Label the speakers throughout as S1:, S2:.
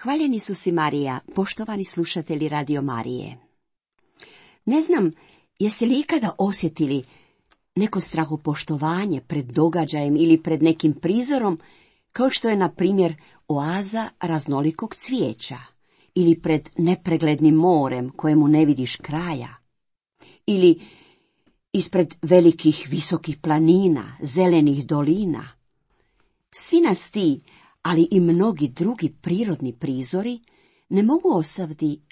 S1: Hvaljeni su si Marija, poštovani slušatelji Radio Marije. Ne znam, jeste li ikada osjetili neko strahopoštovanje pred događajem ili pred nekim prizorom, kao što je, na primjer, oaza raznolikog cvijeća, ili pred nepreglednim morem kojemu ne vidiš kraja, ili ispred velikih visokih planina, zelenih dolina. Svi nas ti, ali i mnogi drugi prirodni prizori, ne mogu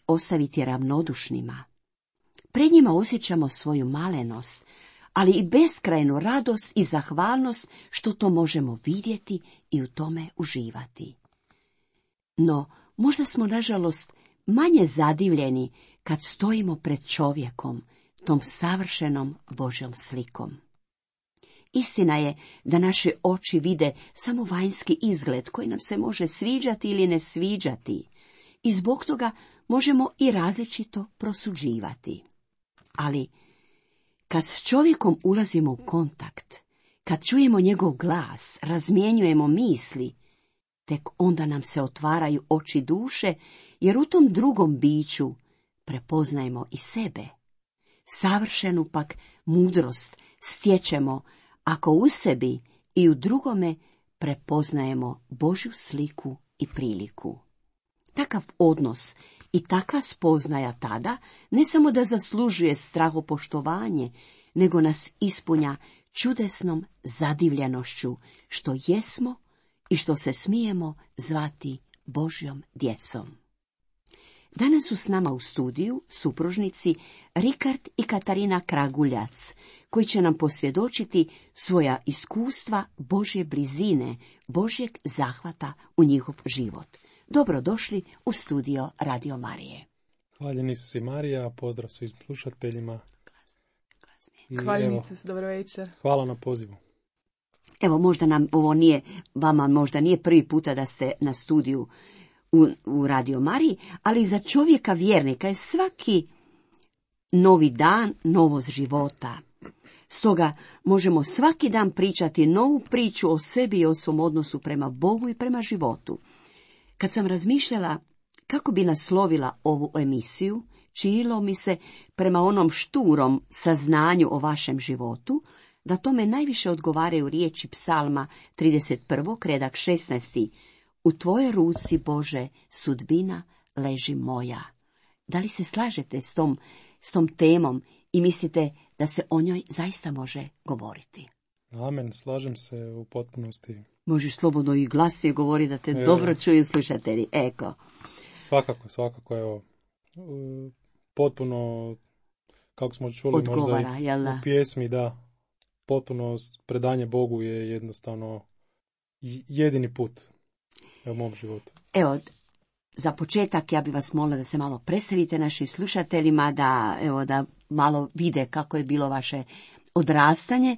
S1: ostaviti ravnodušnima. Pred njima osjećamo svoju malenost, ali i beskrajnu radost i zahvalnost što to možemo vidjeti i u tome uživati. No, možda smo, nažalost, manje zadivljeni kad stojimo pred čovjekom, tom savršenom Božjom slikom. Istina je da naše oči vide samo vanjski izgled koji nam se može sviđati ili ne sviđati i zbog toga možemo i različito prosuđivati. Ali kad s čovjekom ulazimo u kontakt, kad čujemo njegov glas, razmjenjujemo misli, tek onda nam se otvaraju oči duše, jer u tom drugom biću prepoznajemo i sebe. Savršenu pak mudrost stječemo ako u sebi i u drugome prepoznajemo Božju sliku i priliku. Takav odnos i takva spoznaja tada ne samo da zaslužuje strahopoštovanje, nego nas ispunja čudesnom zadivljenošću što jesmo i što se smijemo zvati Božjom djecom. Danas su s nama u studiju supružnici Rikard i Katarina Kraguljac, koji će nam posvjedočiti svoja iskustva Božje blizine, Božjeg zahvata u njihov život. Dobrodošli u studio Radio Marije.
S2: Hvaljeni su si Marija, pozdrav svim slušateljima.
S3: Hvaljeni su, dobro večer.
S2: Hvala na pozivu.
S1: Evo, možda nam ovo nije, vama možda nije prvi puta da ste na studiju u Radio Mariji, ali za čovjeka vjernika je svaki novi dan novost života. Stoga možemo svaki dan pričati novu priču o sebi i o svom odnosu prema Bogu i prema životu. Kad sam razmišljala kako bi naslovila ovu emisiju, činilo mi se prema onom šturom saznanju o vašem životu, da tome najviše odgovaraju riječi Psalma 31. redak 16. U tvojoj ruci, Bože, sudbina leži moja. Da li se slažete s tom temom i mislite da se o njoj zaista može govoriti?
S2: Amen, slažem se u potpunosti.
S1: Možeš slobodno i glasnije govoriti da te dobro čuju slušatelji. Eko.
S2: Svakako, evo. Potpuno, kako smo čuli
S1: odgovara,
S2: možda u pjesmi, da, potpuno predanje Bogu je jednostavno jedini put u mom životu.
S1: Evo, za početak ja bih vas molila da se malo predstavite našim slušateljima, da malo vide kako je bilo vaše odrastanje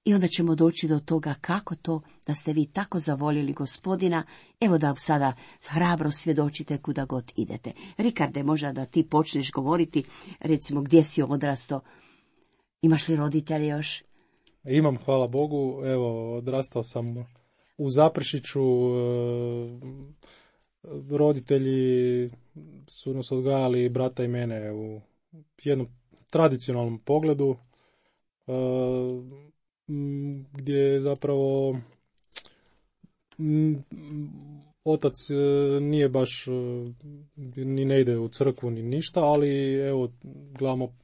S1: i onda ćemo doći do toga kako to da ste vi tako zavoljeli Gospodina. Evo da sada hrabro svjedočite kuda god idete. Rikarde, možda da ti počneš govoriti, recimo gdje si odrastao, imaš li roditelje još?
S2: Imam, hvala Bogu, evo odrastao sam u Zaprešiću, roditelji su nas odgajali, brata i mene, u jednom tradicionalnom pogledu, gdje zapravo otac nije baš, ni ne ide u crkvu ni ništa, ali evo gledamo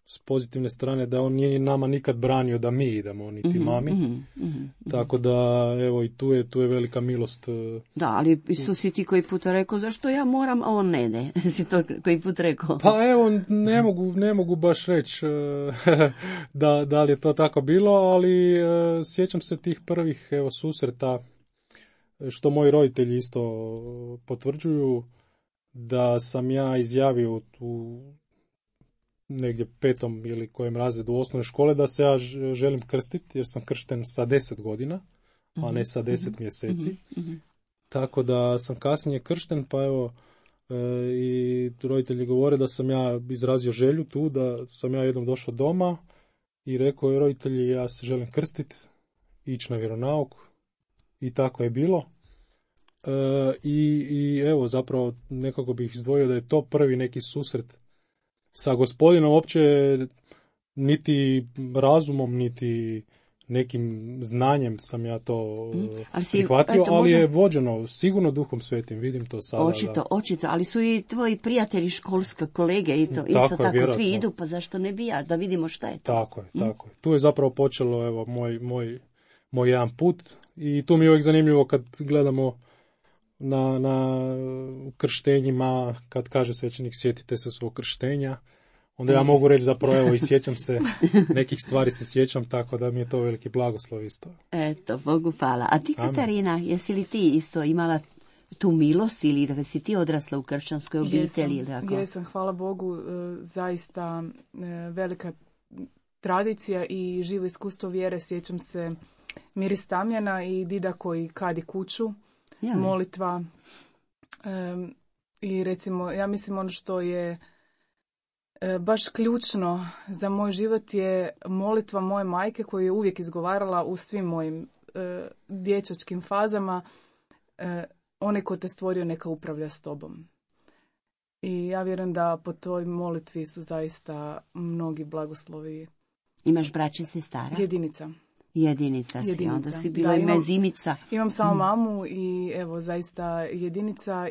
S2: s pozitivne strane da on nije nama nikad branio da mi idemo, niti mami. Tako da, evo, i tu je velika milost.
S1: Da, ali si ti koji puta rekao, zašto ja moram, a on ne ide? Si to koji put rekao?
S2: Pa evo, ne mogu baš reći da li je to tako bilo, ali sjećam se tih prvih, evo, susreta, što moji roditelji isto potvrđuju, da sam ja izjavio u negdje 5. ili kojem razredu osnovne škole da se ja želim krstiti, jer sam kršten sa 10 godina, a ne sa 10 mjeseci. Tako da sam kasnije kršten, pa evo i roditelji govore da sam ja izrazio želju tu, da sam ja jednom došao doma i rekao je roditelji, ja se želim krstiti, ići na vjeronauk, i tako je bilo. I evo, zapravo nekako bih izdvojio da je to prvi neki susret sa Gospodinom, uopće niti razumom, niti nekim znanjem sam ja to prihvatio, ali je vođeno sigurno Duhom Svetim, vidim to sada.
S1: Očito, ali su i tvoji prijatelji, školske kolege i to, isto tako vjerojatno. Svi idu, pa zašto ne bi ja, da vidimo šta je to.
S2: Tako je. Tu je zapravo počelo, evo, moj jedan put i tu mi je uvijek zanimljivo kad gledamo na krštenjima, kad kaže svećenik sjetite se svog krštenja, onda ja mogu reći zapravo, evo, i sjećam se, nekih stvari se sjećam, tako da mi je to veliki blagoslov isto.
S1: Eto, Bogu hvala. A ti, Katarina, jesi li ti isto imala tu milost ili da si ti odrasla u kršćanskoj obitelji?
S3: Jesam, hvala Bogu, zaista velika tradicija i živo iskustvo vjere. Sjećam se miris tamjana i dida koji kadi kuću, molitva. I recimo, ja mislim ono što je baš ključno za moj život je molitva moje majke koju je uvijek izgovarala u svim mojim dječačkim fazama. Onaj ko te stvorio neka upravlja s tobom. I ja vjerujem da po toj molitvi su zaista mnogi blagoslovi.
S1: Imaš braće i sestara? Jedinica si, onda si bila i mezimica.
S3: Imam samo mamu i evo zaista jedinica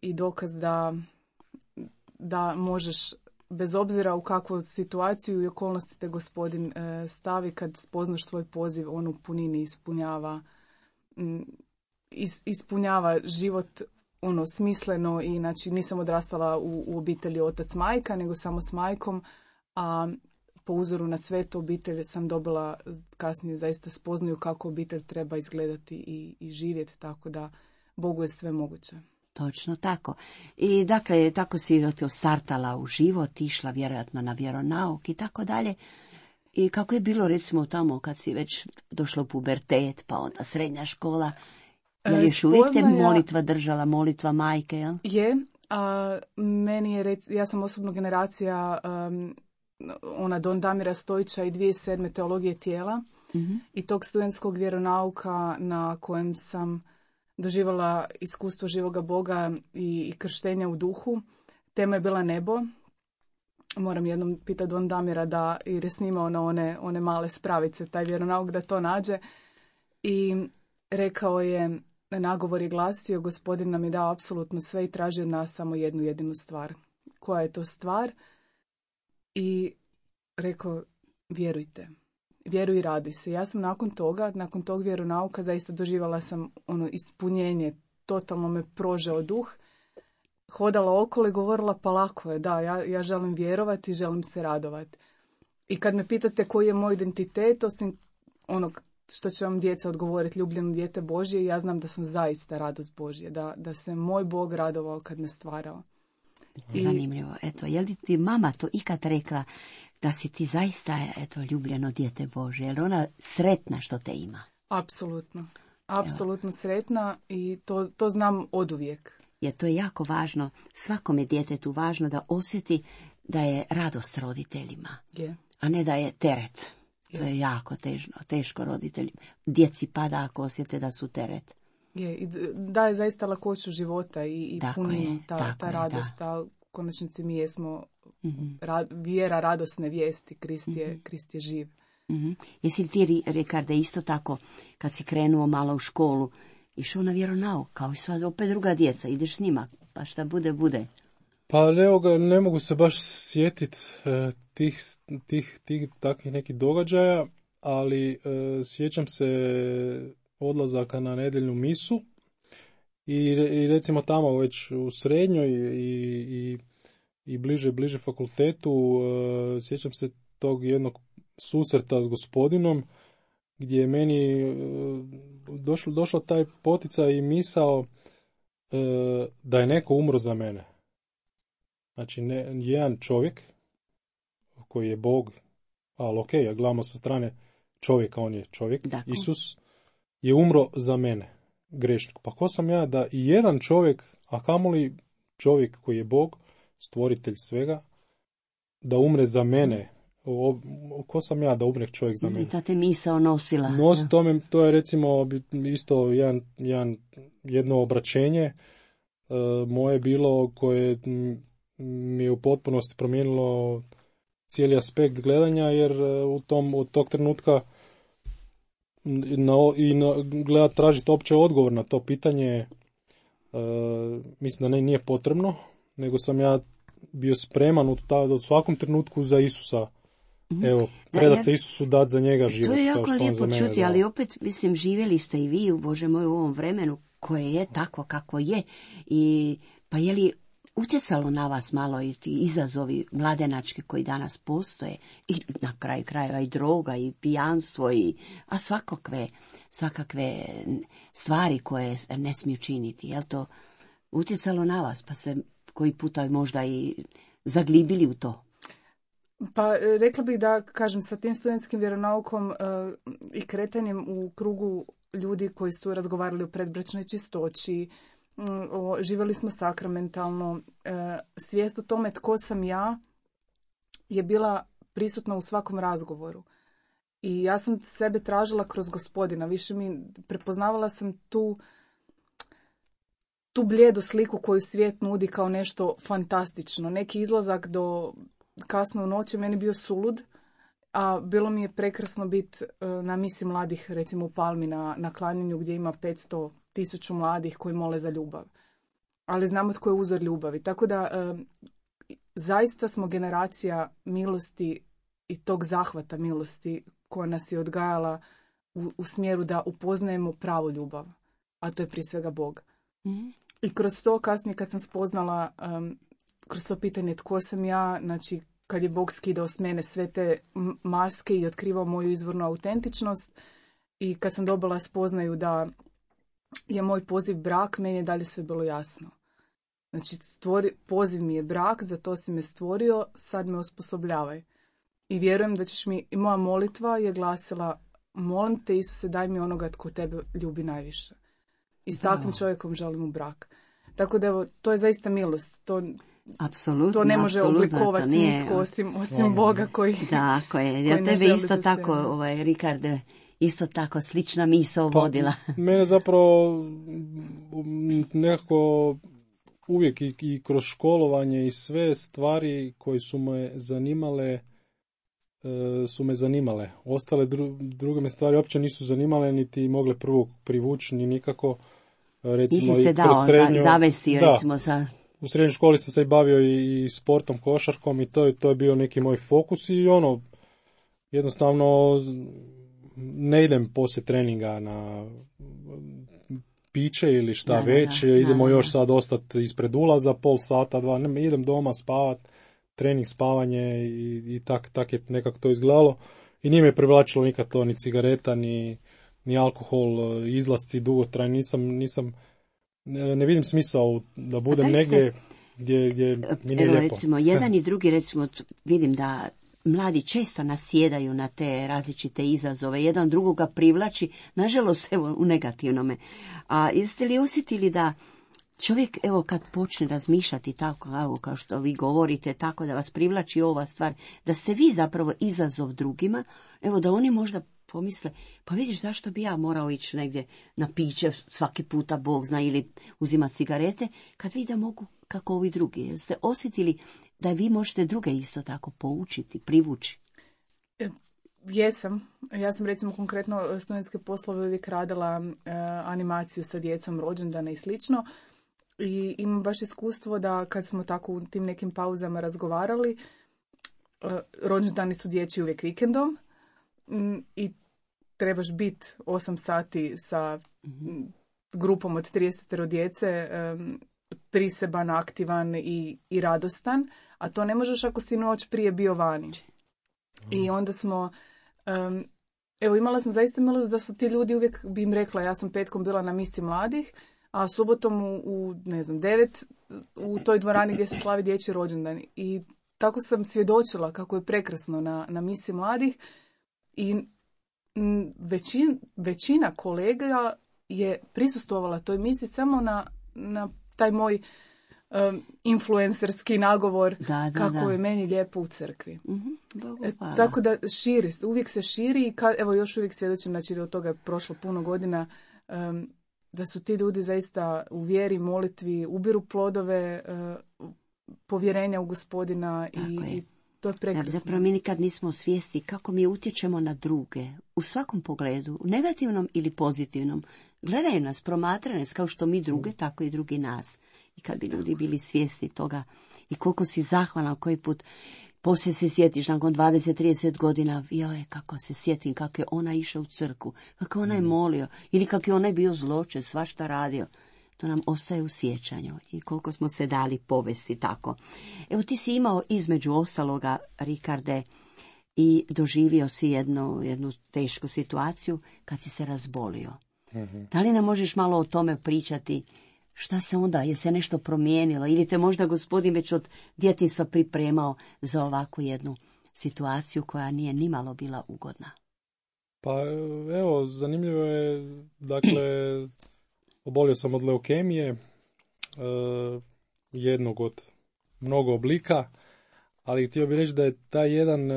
S3: i dokaz da možeš, bez obzira u kakvu situaciju i okolnosti te Gospodin stavi, kad spoznaš svoj poziv, on u punini ispunjava život smisleno i znači nisam odrastala u obitelji otac majka, nego samo s majkom, a po uzoru na svetu obitelj sam dobila kasnije zaista spoznaju kako obitelj treba izgledati i živjeti, tako da Bogu je sve moguće.
S1: Točno tako. I dakle, tako si startala u život, išla vjerojatno na vjeronauk i tako dalje. I kako je bilo recimo tamo kad si već došla u pubertet, pa onda srednja škola, je li još uvijek te molitva držala, molitva majke, jel?
S3: Je, a meni je, ja sam osobno generacija Don Damira Stojića i 2007. teologije tijela i tog studentskog vjeronauka na kojem sam doživala iskustvo živoga Boga i krštenja u duhu. Tema je bila nebo. Moram jednom pitati Don Damira jer je snimao na one male spravice, taj vjeronauk da to nađe. I rekao je, nagovor je glasio, Gospodin nam je dao apsolutno sve i traži od nas samo jednu jedinu stvar. Koja je to stvar? I rekao, vjerujte. Vjeruj i raduj se. Ja sam nakon tog vjeronauka zaista doživala sam ispunjenje, totalno me prožeo duh. Hodala okolo i govorila, pa lako je, da, ja želim vjerovati, želim se radovati. I kad me pitate koji je moj identitet, osim onog što će vam djeca odgovoriti, ljubljeno dijete Božje, ja znam da sam zaista radost Božje, da se moj Bog radovao kad me stvarao.
S1: Zanimljivo. Eto, je li ti mama to ikad rekla da si ti zaista ljubljeno dijete Božje? Je li ona sretna što te ima?
S3: Apsolutno sretna i to znam oduvijek.
S1: Jer to je jako važno, svakome djetetu važno da osjeti da je radost roditeljima, a ne da je teret. To je jako teško roditeljima. Djeci pada ako osjete da su teret.
S3: I daje zaista lakoću života i puninu ta radost. U konačnici mi jesmo vjera radosne vijesti. Krist je živ.
S1: Jesi li ti, Rikarde, isto tako, kad si krenuo malo u školu, išao na vjeronauk, kao i sad opet druga djeca, ideš s njima, pa šta bude?
S2: Pa ne mogu se baš sjetiti tih takvih nekih događaja, ali sjećam se odlazaka na nedjeljnu misu i recimo tamo već u srednjoj i bliže fakultetu sjećam se tog jednog susreta s Gospodinom gdje je meni došlo taj poticaj i misao da je neko umro za mene. Znači jedan čovjek koji je Bog, ali ok, gledamo sa strane čovjeka, on je čovjek, dakle. Isus je umro za mene, grešnik. Pa ko sam ja da i jedan čovjek, a kamoli čovjek koji je Bog, stvoritelj svega, da umre za mene, ko sam ja da umre čovjek za mene?
S1: I ta te misao nosila.
S2: To je recimo isto jedno obraćenje moje bilo koje mi je u potpunosti promijenilo cijeli aspekt gledanja, jer od tog trenutka tražiti opće odgovor na to pitanje mislim da nije potrebno, nego sam ja bio spreman u svakom trenutku za Isusa. Evo, predat se Isusu, dat za njega život.
S1: To je jako lijepo čuti,
S2: dao.
S1: ali opet, mislim, živjeli ste i vi, Bože moj, u ovom vremenu koje je takvo kako je. Pa je li utjecalo na vas malo i ti izazovi mladenački koji danas postoje, i na kraju krajeva i droga i pijanstvo, a svakakve stvari koje ne smiju činiti. Je li to utjecalo na vas, pa se koji puta možda i zaglibili u to?
S3: Pa rekla bih da, kažem, sa tim studentskim vjeronaukom i kretanjem u krugu ljudi koji su razgovarali o predbračnoj čistoći, živjeli smo sakramentalno, svijest o tome tko sam ja je bila prisutna u svakom razgovoru. I ja sam sebe tražila kroz Gospodina, prepoznavala sam tu blijedu sliku koju svijet nudi kao nešto fantastično. Neki izlazak do kasno u noći meni bio sulud, a bilo mi je prekrasno biti na misi mladih, recimo u Palmi na klanjanju gdje ima 500,000 mladih koji mole za ljubav. Ali znamo tko je uzor ljubavi. Tako da zaista smo generacija milosti i tog zahvata milosti koja nas je odgajala u smjeru da upoznajemo pravu ljubav, a to je prije svega Bog. Mm-hmm. I kroz to kasnije kad sam spoznala, kroz to pitanje tko sam ja, znači kad je Bog skidao s mene sve te maske i otkrivao moju izvornu autentičnost, i kad sam dobila spoznaju da je moj poziv brak, meni je dalje sve bilo jasno. Znači poziv mi je brak, za to si me stvorio, sad me osposobljavaj. I vjerujem da ćeš mi, i moja molitva je glasila, molim te Isuse, daj mi onoga tko tebe ljubi najviše. I s takvim čovjekom želim u brak. Tako da evo, to je zaista milost.
S1: Apsolutno,
S3: to ne može oblikovati nitko osim Boga koji...
S1: Tako je, ja tebe isto tako, Rikard, isto tako slična misao vodila.
S2: Mene zapravo nekako uvijek i kroz školovanje i sve stvari koje su me zanimale. Ostale druge me stvari uopće nisu zanimale, niti mogle prvo privući, ni nikako. Recimo,
S1: nisi se dao zavesti, recimo sa...
S2: U srednjoj školi sam se bavio i sportom, košarkom, i to je bio neki moj fokus, i jednostavno ne idem poslije treninga na piće ili šta već, idemo još sad ostati ispred ulaza pol sata, dva, ne, idem doma spavat, trening, spavanje, i tak je nekako to izgledalo, i nije me privlačilo nikad to, ni cigareta, ni alkohol, izlasci dugotrajni, nisam ne vidim smisao da budem negdje gdje mi nije lijepo.
S1: Recimo, jedan i drugi, recimo, vidim da mladi često nasjedaju na te različite izazove, jedan drugoga privlači, nažalost, evo, u negativnome. A jeste li osjetili da čovjek, evo, kad počne razmišljati tako, evo, kao što vi govorite, tako da vas privlači ova stvar, da ste vi zapravo izazov drugima, evo, da oni možda pomisle, pa vidiš, zašto bi ja morao ići negdje na piće svaki puta, Bog zna, ili uzimati cigarete, kad vi da mogu kako ovi drugi. Jeste osjetili da vi možete druge isto tako poučiti, privući?
S3: Jesam. Ja sam recimo konkretno studentske poslove uvijek radila animaciju sa djecom, rođendana i slično. I imam baš iskustvo da kad smo tako u tim nekim pauzama razgovarali, rođendani su dječji uvijek vikendom i trebaš biti 8 sati sa grupom od 30 djece, priseban, aktivan i radostan, a to ne možeš ako si noć prije bio vani. I onda smo, evo, imala sam zaista milost da su ti ljudi uvijek, bi im rekla, ja sam petkom bila na misi mladih, a subotom u 9 u toj dvorani gdje se slavi dječji rođendan. I tako sam svjedočila kako je prekrasno na misi mladih, i većina kolega je prisustvovala toj misi samo na taj moj influencerski nagovor kako je meni lijepo u crkvi. Tako da uvijek se širi i evo još uvijek svjedočim, znači od toga je prošlo puno godina, da su ti ljudi zaista u vjeri, molitvi, ubiru plodove povjerenja u Gospodina i to je prekrasno.
S1: Zapravo mi nikad nismo svijesti kako mi utječemo na druge u svakom pogledu, u negativnom ili pozitivnom. Gledaju nas, promatraju nas kao što mi druge, tako i drugi nas. I kad bi ljudi bili svjesni toga i koliko si zahvalan koji put poslije se sjetiš nakon 20-30 godina, joj, kako se sjetim kako je ona išla u crkvu, kako ona je molio ili kako je onaj bio zločest, svašta radio. To nam ostaje u sjećanju i koliko smo se dali povesti tako. Evo ti si imao između ostaloga, Rikarde, i doživio si jednu tešku situaciju kad si se razbolio. Da li nam možeš malo o tome pričati? Šta se onda, je se nešto promijenilo ili te možda Gospodin već od djetinjstva pripremao za ovakvu jednu situaciju koja nije nimalo bila ugodna?
S2: Pa evo, zanimljivo je, dakle, obolio sam od leukemije, jednog od mnogo oblika, ali htio bih reći da je taj jedan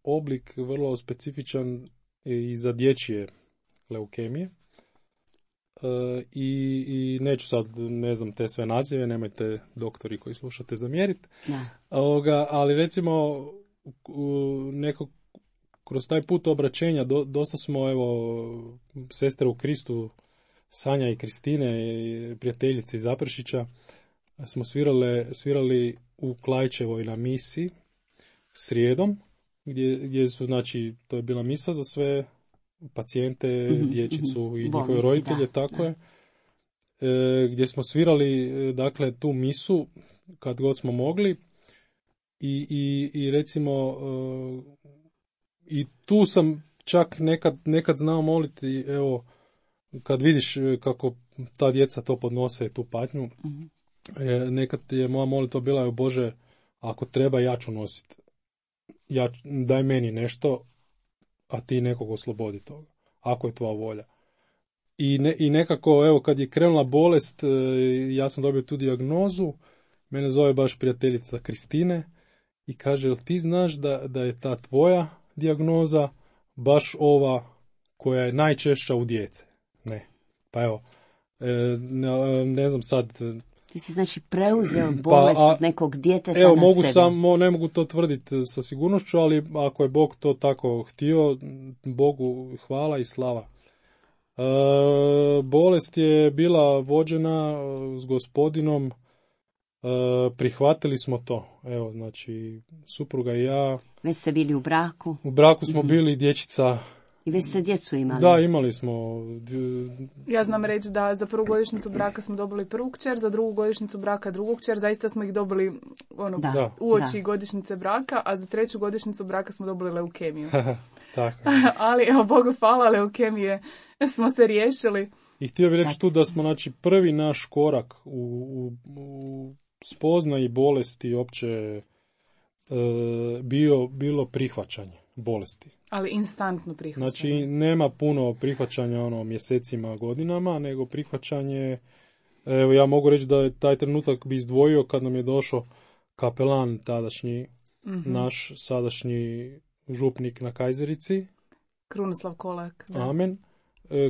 S2: oblik vrlo specifičan i za dječje leukemije. I neću sad, ne znam te sve nazive, nemojte doktori koji slušate zamjeriti, ali recimo kroz taj put obraćenja dosta smo, evo, sestre u Kristu, Sanja i Kristine, prijateljice iz Zaprešića, smo svirali u Klajčevoj na misi srijedom, gdje su, znači, to je bila misa za sve pacijente, dječicu i njihove roditelje, tako je. Gdje smo svirali, dakle, tu misu kad god smo mogli i recimo i tu sam čak nekad znao moliti, evo, kad vidiš kako ta djeca to podnose, tu patnju, nekad je moja molitva bila, Bože, ako treba ja ću nositi. Daj meni nešto, a ti nekog oslobodi toga, ako je tvoja volja. I nekako, evo, kad je krenula bolest, ja sam dobio tu dijagnozu, mene zove baš prijateljica Kristine i kaže, jel ti znaš da je ta tvoja dijagnoza baš ova koja je najčešća u djece? Ne. Pa evo, ne znam sad.
S1: Ti si znači preuzeo bolest od nekog djeteta
S2: evo,
S1: na sebe.
S2: Ne mogu to tvrditi sa sigurnošću, ali ako je Bog to tako htio, Bogu hvala i slava. Bolest je bila vođena s Gospodinom, prihvatili smo to. Evo, znači, supruga i ja.
S1: Već ste bili u braku?
S2: U braku smo bili, dječica.
S1: I već ste djecu imali?
S2: Da, imali smo.
S3: Ja znam reći da za prvu godišnjicu braka smo dobili prvu kćer, za drugu godišnjicu braka drugu kćer, zaista smo ih dobili uoči godišnjice braka, a za treću godišnjicu braka smo dobili leukemiju.
S2: Tako.
S3: Ali, evo, Bogu hvala, leukemije smo se riješili.
S2: I htio bih reći tu da smo, znači, prvi naš korak u spoznaji bolesti opće bilo prihvaćanje bolesti.
S3: Ali instantno prihvaćanje.
S2: Znači, nema puno prihvaćanja mjesecima, godinama, nego prihvaćanje, evo, ja mogu reći da je taj trenutak bi izdvojio kad nam je došao kapelan tadašnji, naš sadašnji župnik na Kajzerici.
S3: Krunoslav Kolak. Da.
S2: Amen.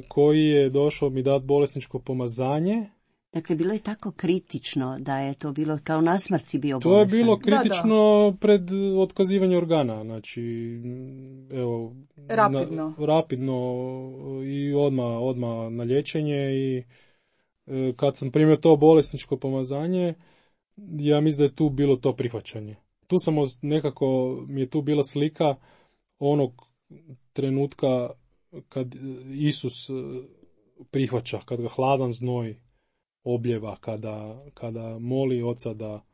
S2: Koji je došao mi dati bolesničko pomazanje.
S1: Dakle, bilo je tako kritično da je to bilo kao na smrci bio bolestan.
S2: To je bilo kritično pred otkazivanje organa, znači, evo, rapidno i odmah na liječenje i kad sam primio to bolesničko pomazanje, ja mislim da je tu bilo to prihvaćanje. Tu sam nekako, mi je tu bila slika onog trenutka kad Isus prihvaća, kad ga hladan znoj objeva, kada moli Oca da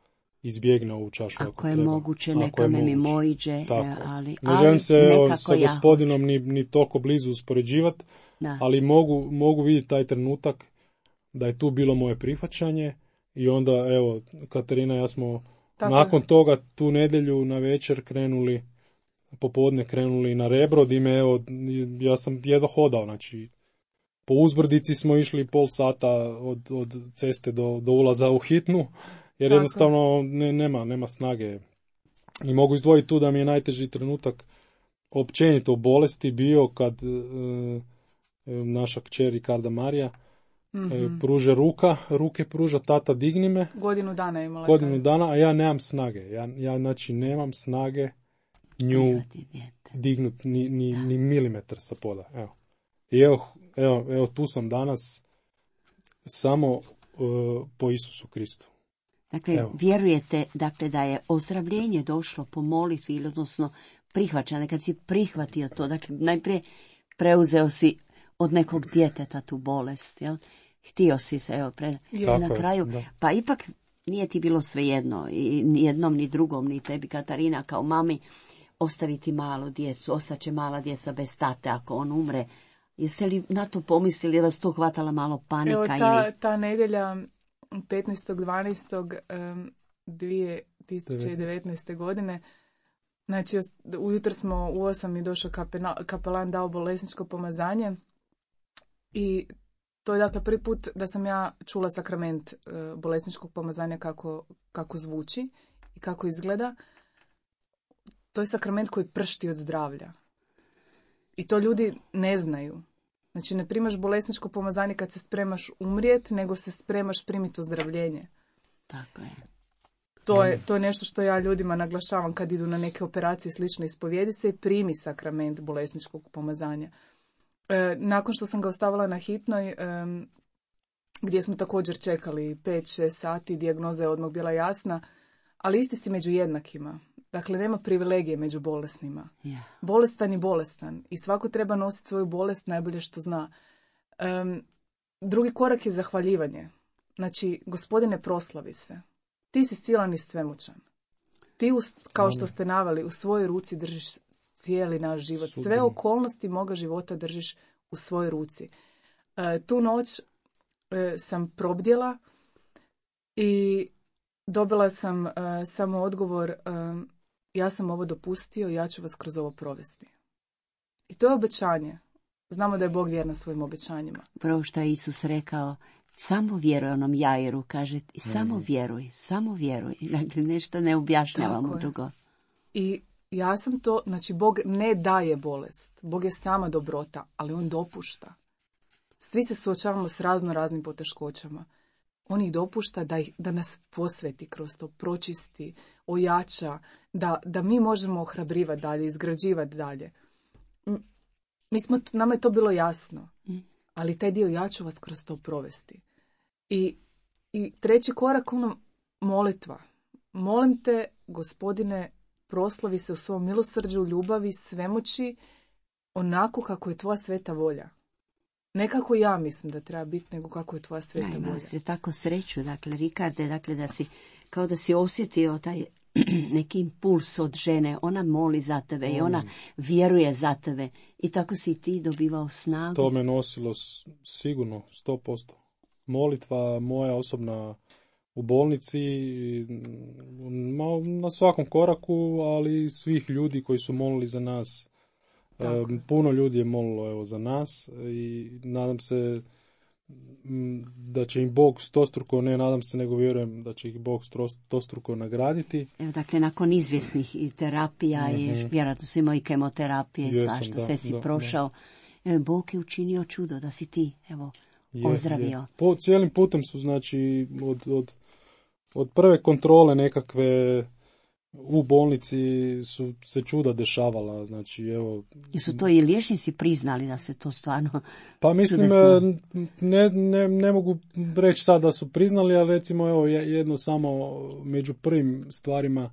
S2: izbjegne ovu čašu.
S1: Ako je moguće, neka me mimo iđe. Ali
S2: ne želim se sa Gospodinom ni toliko blizu uspoređivati, ali mogu vidjeti taj trenutak da je tu bilo moje prihvaćanje i onda, evo, Katarina i ja smo nakon toga tu nedjelju na večer popodne krenuli na Rebro, dime, evo, ja sam jedva hodao, znači, po uzbrdici smo išli 30 sata od ceste do ulaza u hitnu Jer jednostavno nema snage. I mogu izdvojiti tu da mi je najteži trenutak općenito u bolesti bio kad naša kćer Ricarda Marija pruže ruke pruža, tata digni me.
S3: Godinu dana je imala.
S2: Godinu dana, a ja nemam snage. Ja znači nemam snage nju dignut ni milimetar sa poda. Evo. I evo tu sam danas samo po Isusu Kristu.
S1: Dakle, vjerujete da je ozdravljenje došlo po molitvi, ili odnosno prihvaćanje, kad si prihvatio to, dakle, najprije preuzeo si od nekog djeteta tu bolest, jel? Htio si se, na kraju, pa ipak nije ti bilo svejedno, i ni jednom, ni drugom, ni tebi, Katarina, kao mami, ostaviti malu djecu, ostaće mala djeca bez tate ako on umre. Jeste li na to pomislili, da vas to hvatala malo panika?
S3: Evo, ta nedjelja 15.12.2019. godine, znači ujutro smo u 8 i došao kapelan, dao bolesničko pomazanje i to je dakle prvi put da sam ja čula sakrament bolesničkog pomazanja kako zvuči i kako izgleda. To je sakrament koji pršti od zdravlja. I to ljudi ne znaju. Znači ne primaš bolesničko pomazanje kad se spremaš umrijet, nego se spremaš primiti ozdravljenje.
S1: Tako je.
S3: To je nešto što ja ljudima naglašavam kad idu na neke operacije slično, ispovijedi se i primi sakrament bolesničkog pomazanja. Nakon što sam ga ostavila na hitnoj, gdje smo također čekali 5-6 sati, dijagnoza je odmah bila jasna, ali isti si među jednakima. Dakle, nema privilegije među bolesnima.
S1: Yeah.
S3: Bolestan i bolestan. I svako treba nositi svoju bolest najbolje što zna. Drugi korak je zahvaljivanje. Znači, Gospodine, proslavi se. Ti si silan i svemoćan. Ti, kao što ste naveli, u svojoj ruci držiš cijeli naš život. Sve okolnosti moga života držiš u svojoj ruci. Tu noć sam probdjela i dobila sam samo odgovor, ja sam ovo dopustio, ja ću vas kroz ovo provesti. I to je obećanje. Znamo da je Bog vjeran svojim obećanjima.
S1: Prvo što je Isus rekao, samo vjeruj onom Jairu, kaže, samo vjeruj. Dakle, nešto ne objašnjavamo drugo.
S3: I ja sam to, znači Bog ne daje bolest. Bog je sama dobrota, ali on dopušta. Svi se suočavamo s raznim poteškoćama. On ih dopušta da nas posveti kroz to, pročisti, ojača, da mi možemo ohrabrivati dalje, izgrađivati dalje. Nama je to bilo jasno, ali taj dio ja ću vas kroz to provesti. I treći korak, molitva. Molim te, Gospodine, proslavi se u svom milosrđu, ljubavi, svemoći, onako kako je tvoja sveta volja. Ne kako ja mislim da treba biti, nego kako je tvoja sveta volja.
S1: Ja se tako sreću, dakle, Ricarde, dakle, kao da si osjetio taj neki impuls od žene, ona moli za tebe i ona vjeruje za tebe i tako si ti dobivao snagu.
S2: To me nosilo sigurno 100%. Molitva moja osobna u bolnici, na svakom koraku, ali svih ljudi koji su molili za nas. Puno ljudi je molilo za nas i nadam se da će im Bog stostruko, ne nadam se nego vjerujem da će ih Bog stostruko nagraditi.
S1: Evo, dakle, nakon izvjesnih i terapija i vjerojatno si imao i kemoterapije i svašta, sve si prošao. Bog je učinio čudo da si ti, ozdravio.
S2: Cijelim putem su, znači, od prve kontrole nekakve u bolnici su se čuda dešavala, znači evo...
S1: Jesu to i liječnici priznali da se to stvarno...
S2: Pa mislim, ne mogu reći sad da su priznali, ali recimo evo jedno samo među prvim stvarima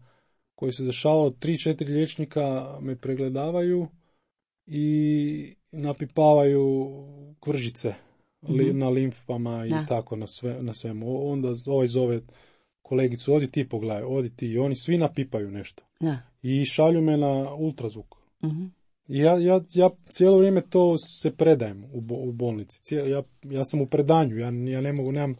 S2: koje se dešavalo, 3-4 liječnika me pregledavaju i napipavaju kvržice na limfama i tako na svemu. Onda ovaj zove kolegicu, odi ti pogledaj, odi ti. I oni svi napipaju nešto.
S1: Da.
S2: I šalju me na ultrazvuk. I ja cijelo vrijeme to se predajem u bolnici. Ja sam u predanju. Ja ne mogu, nemam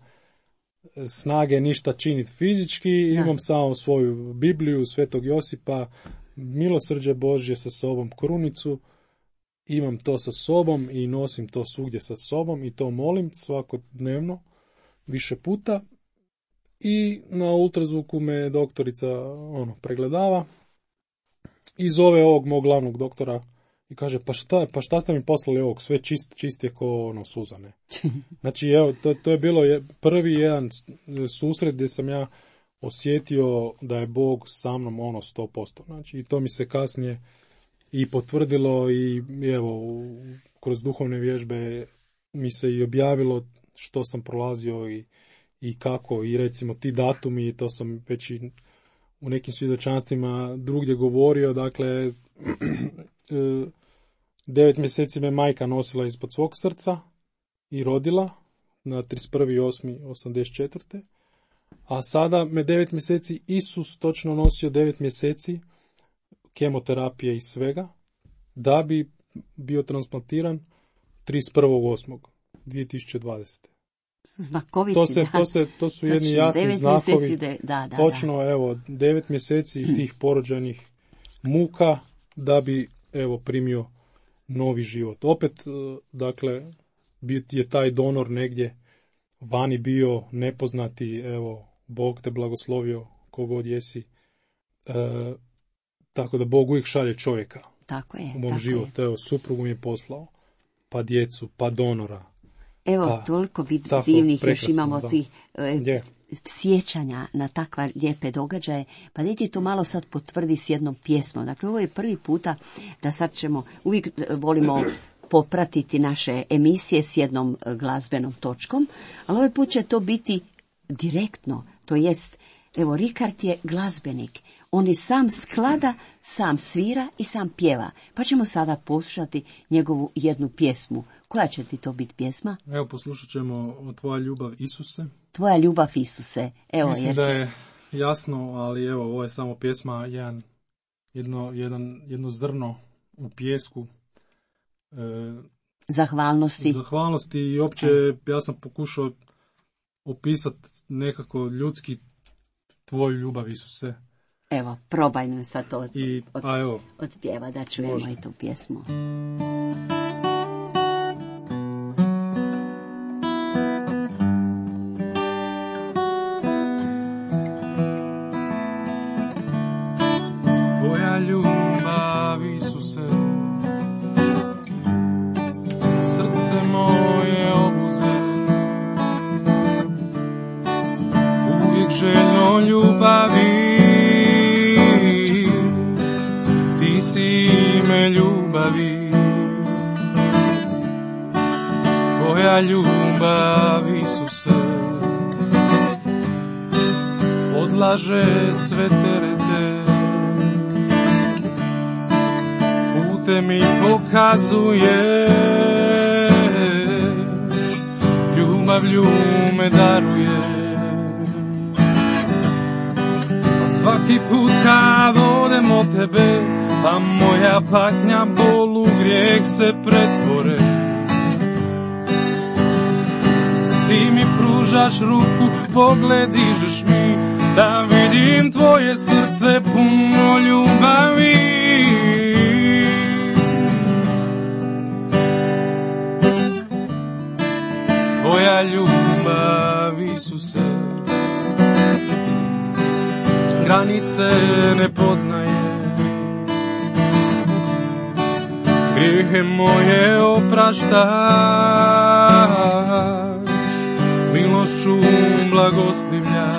S2: snage ništa činiti fizički. Imam samo svoju Bibliju, Svetog Josipa, milosrđe Božje sa sobom, krunicu. Imam to sa sobom i nosim to svugdje sa sobom i to molim svakodnevno, više puta. i na ultrazvuku me doktorica pregledava i zove ovog mog glavnog doktora i kaže, pa šta ste mi poslali ovog, sve čist je ko suzane. Znači, evo, to je bilo prvi jedan susret gdje sam ja osjetio da je Bog sa mnom 100%. Znači, i to mi se kasnije i potvrdilo i evo, kroz duhovne vježbe mi se i objavilo što sam prolazio i kako, i recimo ti datumi, to sam već i u nekim svjedočanstvima drugdje govorio, dakle, 9 mjeseci me majka nosila ispod svog srca i rodila na 31.8.84. A sada me 9 mjeseci Isus točno nosio 9 mjeseci kemoterapije i svega, da bi bio transplantiran 31.8.2020.
S1: Znakoviti,
S2: to su jedni jasni znakovi. Točno, evo, 9 mjeseci tih porođajnih muka da bi, evo, primio novi život. Opet, dakle, je taj donor negdje vani bio nepoznati, evo, Bog te blagoslovio kogod jesi. Tako da Bog uvijek šalje čovjeka u mom životu. Evo, suprugu mi je poslao, pa djecu, pa donora.
S1: Evo, toliko divnih još imamo ti sjećanja na takva lijepe događaje. Pa dajte to malo sad potvrdi s jednom pjesmom. Dakle, ovo je prvi puta da sad ćemo, uvijek volimo popratiti naše emisije s jednom glazbenom točkom, ali ovaj put će to biti direktno, to jest, evo, Rikard je glazbenik, on je sam sklada, sam svira i sam pjeva, pa ćemo sada poslušati njegovu jednu pjesmu. Koja će ti to biti pjesma?
S2: Evo, poslušat ćemo Tvoja ljubav Isuse.
S1: Tvoja ljubav Isuse. Evo,
S2: mislim da je jasno, ali evo, ovo je samo pjesma, jedno zrno u pijesku.
S1: Zahvalnosti
S2: i opće ja sam pokušao opisati nekako ljudski Tvoju ljubav Isuse.
S1: Evo, probaj me sad to
S2: od
S1: pjeva da čujemo može. I tu pjesmu.
S2: Tvoja ljubav Isuse, srce moje obuze, uvijek željno ljubavi, ti si ime ljubavi. Tvoja ljubav Isuse odlaže sve terete, pute mi pokazuješ, ljubavlju me daruješ. A svaki put kad odem od tebe, pa moja patnja, bol u grijeh se pretvore. Ti mi pružaš ruku, pogled dižeš mi, da vidim tvoje srce puno ljubavi. Tvoja ljubav Isuse granice ne poznaje, grijehe moje opraštaš, milošću blagoslivljaš.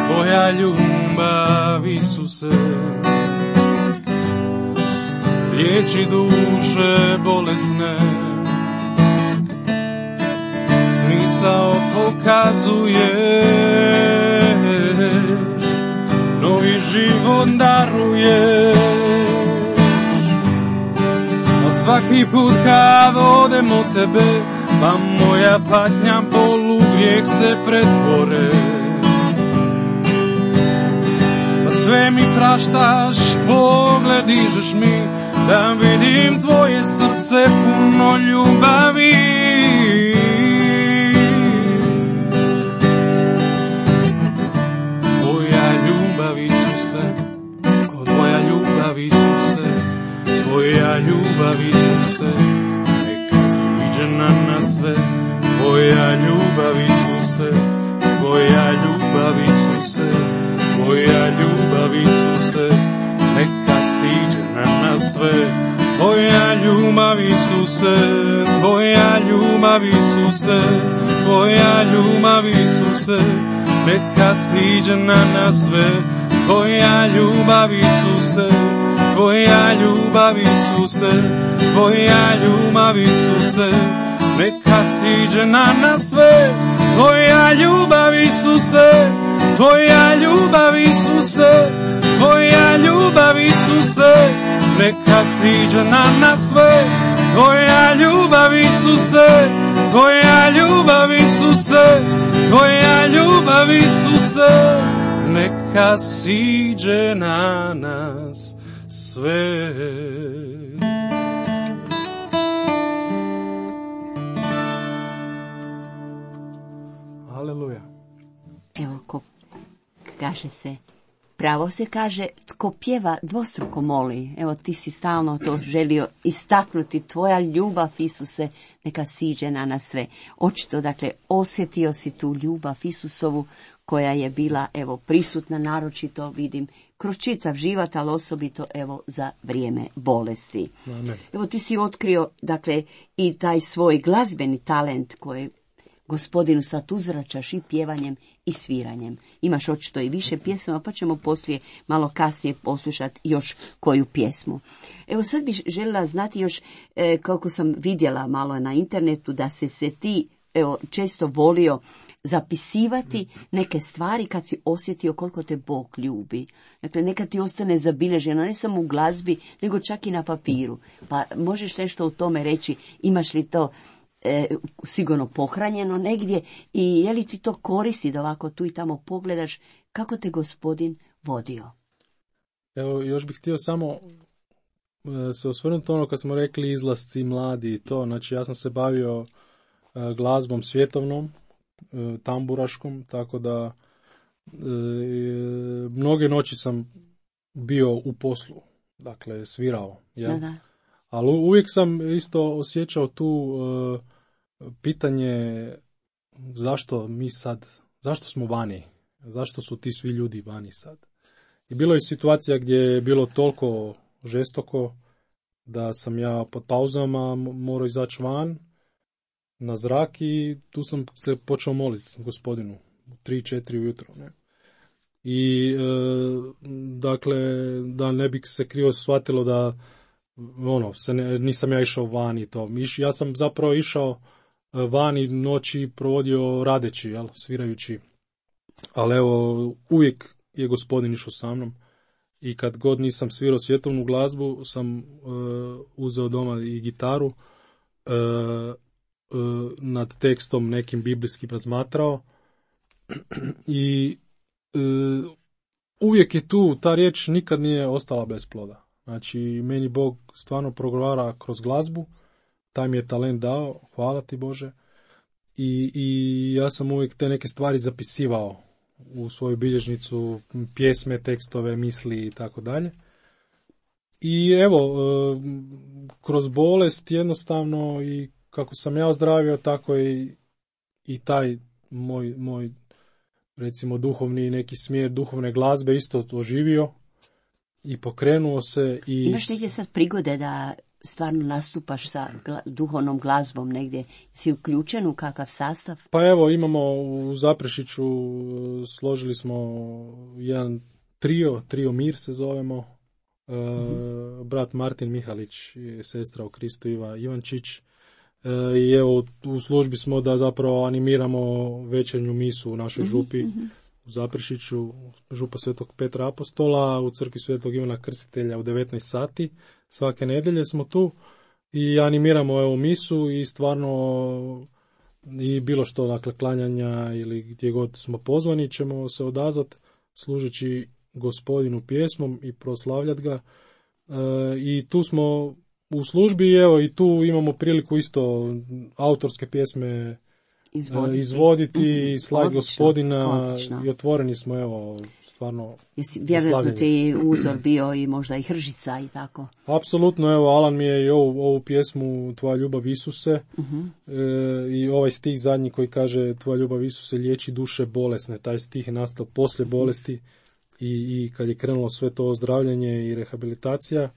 S2: Tvoja ljubav Isuse liječi duše bolesne, smisao pokazuješ, novi život daruješ. A svaki put kad odem od tebe, pa moja patnja, bol u grijeh se pretvore. Pa sve mi praštaš, pogled dižeš mi, da vidim tvoje srce puno ljubavi. Tvoja ljubav Isuse, tvoja ljubav Isuse, tvoja ljubav Isuse, neka sviđena na sve. Tvoja ljubav Isuse ljubav Isuse, tvoja ljubav Isuse, neka siđe na nas sve. Tvoja ljubav Isuse, tvoja ljubav Isuse, tvoja ljubav Isuse, neka siđe na nas sve. Tvoja ljubav Isuse, tvoja ljubav Isuse, tvoja ljubav Isuse, neka siđe na nas sve. Tvoja ljubav Isuse, tvoja ljubav Isuse, tvoja ljubav Isuse, neka siđe na nas sve. Aleluja.
S1: Evo, kaže se, pravo se kaže, tko pjeva dvostruko moli. Evo, ti si stalno to želio istaknuti. Tvoja ljubav, Isuse, neka siđe na nas sve. Očito, dakle, osjetio si tu ljubav Isusovu koja je bila, evo, prisutna, naročito, vidim, kroz čitav život, ali osobito, evo, za vrijeme bolesti.
S2: Amen.
S1: Evo, ti si otkrio, dakle, i taj svoj glazbeni talent koji Gospodinu sad uzvraćaš i pjevanjem i sviranjem. Imaš očito i više pjesama, pa ćemo poslije malo kasnije poslušati još koju pjesmu. Evo sad bih željela znati još, kako sam vidjela malo na internetu, da se ti često volio zapisivati neke stvari kad si osjetio koliko te Bog ljubi. Dakle, neka ti ostane zabilježeno, ne samo u glazbi, nego čak i na papiru. Pa možeš nešto o tome reći, imaš li to sigurno pohranjeno negdje i je li ti to koristi da ovako tu i tamo pogledaš kako te Gospodin vodio?
S2: Evo, još bih htio samo se osvrnuti ono kad smo rekli izlasci mladi i to. Znači, ja sam se bavio glazbom svjetovnom, tamburaškom, tako da mnoge noći sam bio u poslu, dakle svirao. Ja? Da. Ali uvijek sam isto osjećao tu pitanje zašto mi sad, zašto smo vani, zašto su ti svi ljudi vani sad. I bilo je situacija gdje je bilo toliko žestoko da sam ja pod pauzama morao izaći van na zrak i tu sam se počeo moliti Gospodinu u 3-4 ujutro. Ne? I dakle, da ne bi se krivo shvatilo da nisam ja išao van i to. Ja sam zapravo išao van i noći provodio radeći, svirajući. Ali evo, uvijek je Gospodin išao sa mnom. I kad god nisam svirao svjetovnu glazbu, sam uzeo doma i gitaru, nad tekstom nekim biblijskim razmatrao. I uvijek je tu, ta riječ nikad nije ostala bez ploda. Znači, meni Bog stvarno progovara kroz glazbu, taj mi je talent dao, hvala ti Bože. I ja sam uvijek te neke stvari zapisivao u svoju bilježnicu, pjesme, tekstove, misli i tako dalje. I evo, kroz bolest jednostavno i kako sam ja ozdravio, tako i taj moj recimo duhovni neki smjer duhovne glazbe isto oživio i pokrenuo se.
S1: Imaš negdje sad prigode da stvarno nastupaš sa duhovnom glazbom negdje? Si uključen u kakav sastav?
S2: Pa evo, imamo u Zaprešiću, složili smo jedan trio Mir se zovemo, brat Martin Mihalić i sestra u Kristu Iva Ivančić. I evo, u službi smo da zapravo animiramo večernju misu u našoj župi u Zaprešiću, župa Svetog Petra Apostola, u crkvi Svetog Ivana Krstitelja u 19 sati. Svake nedjelje smo tu i animiramo evo misu i stvarno i bilo što, dakle, klanjanja ili gdje god smo pozvani ćemo se odazvati služeći Gospodinu pjesmom i proslavljati ga. I tu smo u službi, evo, i tu imamo priliku isto autorske pjesme izvoditi i slaviti Gospodina. Odlično. I otvoreni smo, evo, stvarno.
S1: Vjerojatno ti uzor bio i možda i Hržica i tako.
S2: Apsolutno, evo, Alan mi je i ovu pjesmu Tvoja ljubav Isuse i ovaj stih zadnji koji kaže Tvoja ljubav Isuse liječi duše bolesne. Taj stih je nastao poslije bolesti i kad je krenulo sve to ozdravljanje i rehabilitacija.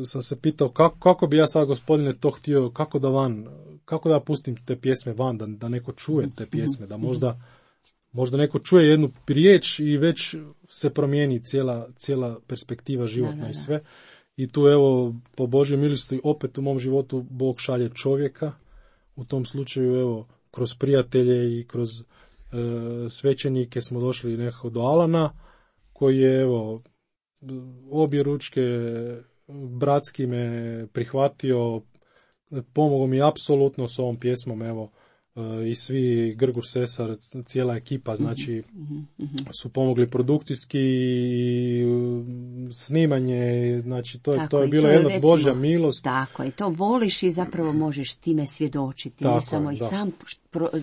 S2: sam se pitao kako bi ja sad, gospodine, to htio, kako da pustim te pjesme van, da neko čuje te pjesme, da možda neko čuje jednu riječ i već se promijeni cijela perspektiva životna i sve. I tu evo, po Božjoj milosti, opet u mom životu Bog šalje čovjeka. U tom slučaju, evo, kroz prijatelje i kroz svećenike smo došli nekako do Alana, koji je, evo, obje ručke bratski me prihvatio, pomogao mi apsolutno s ovom pjesmom, evo, i svi, Grgur Sesar, cijela ekipa, znači, su pomogli produkcijski i snimanje, znači, to je bilo jedna Božja milost.
S1: Tako, i to voliš i zapravo možeš time svjedočiti, tako, ne samo i sam,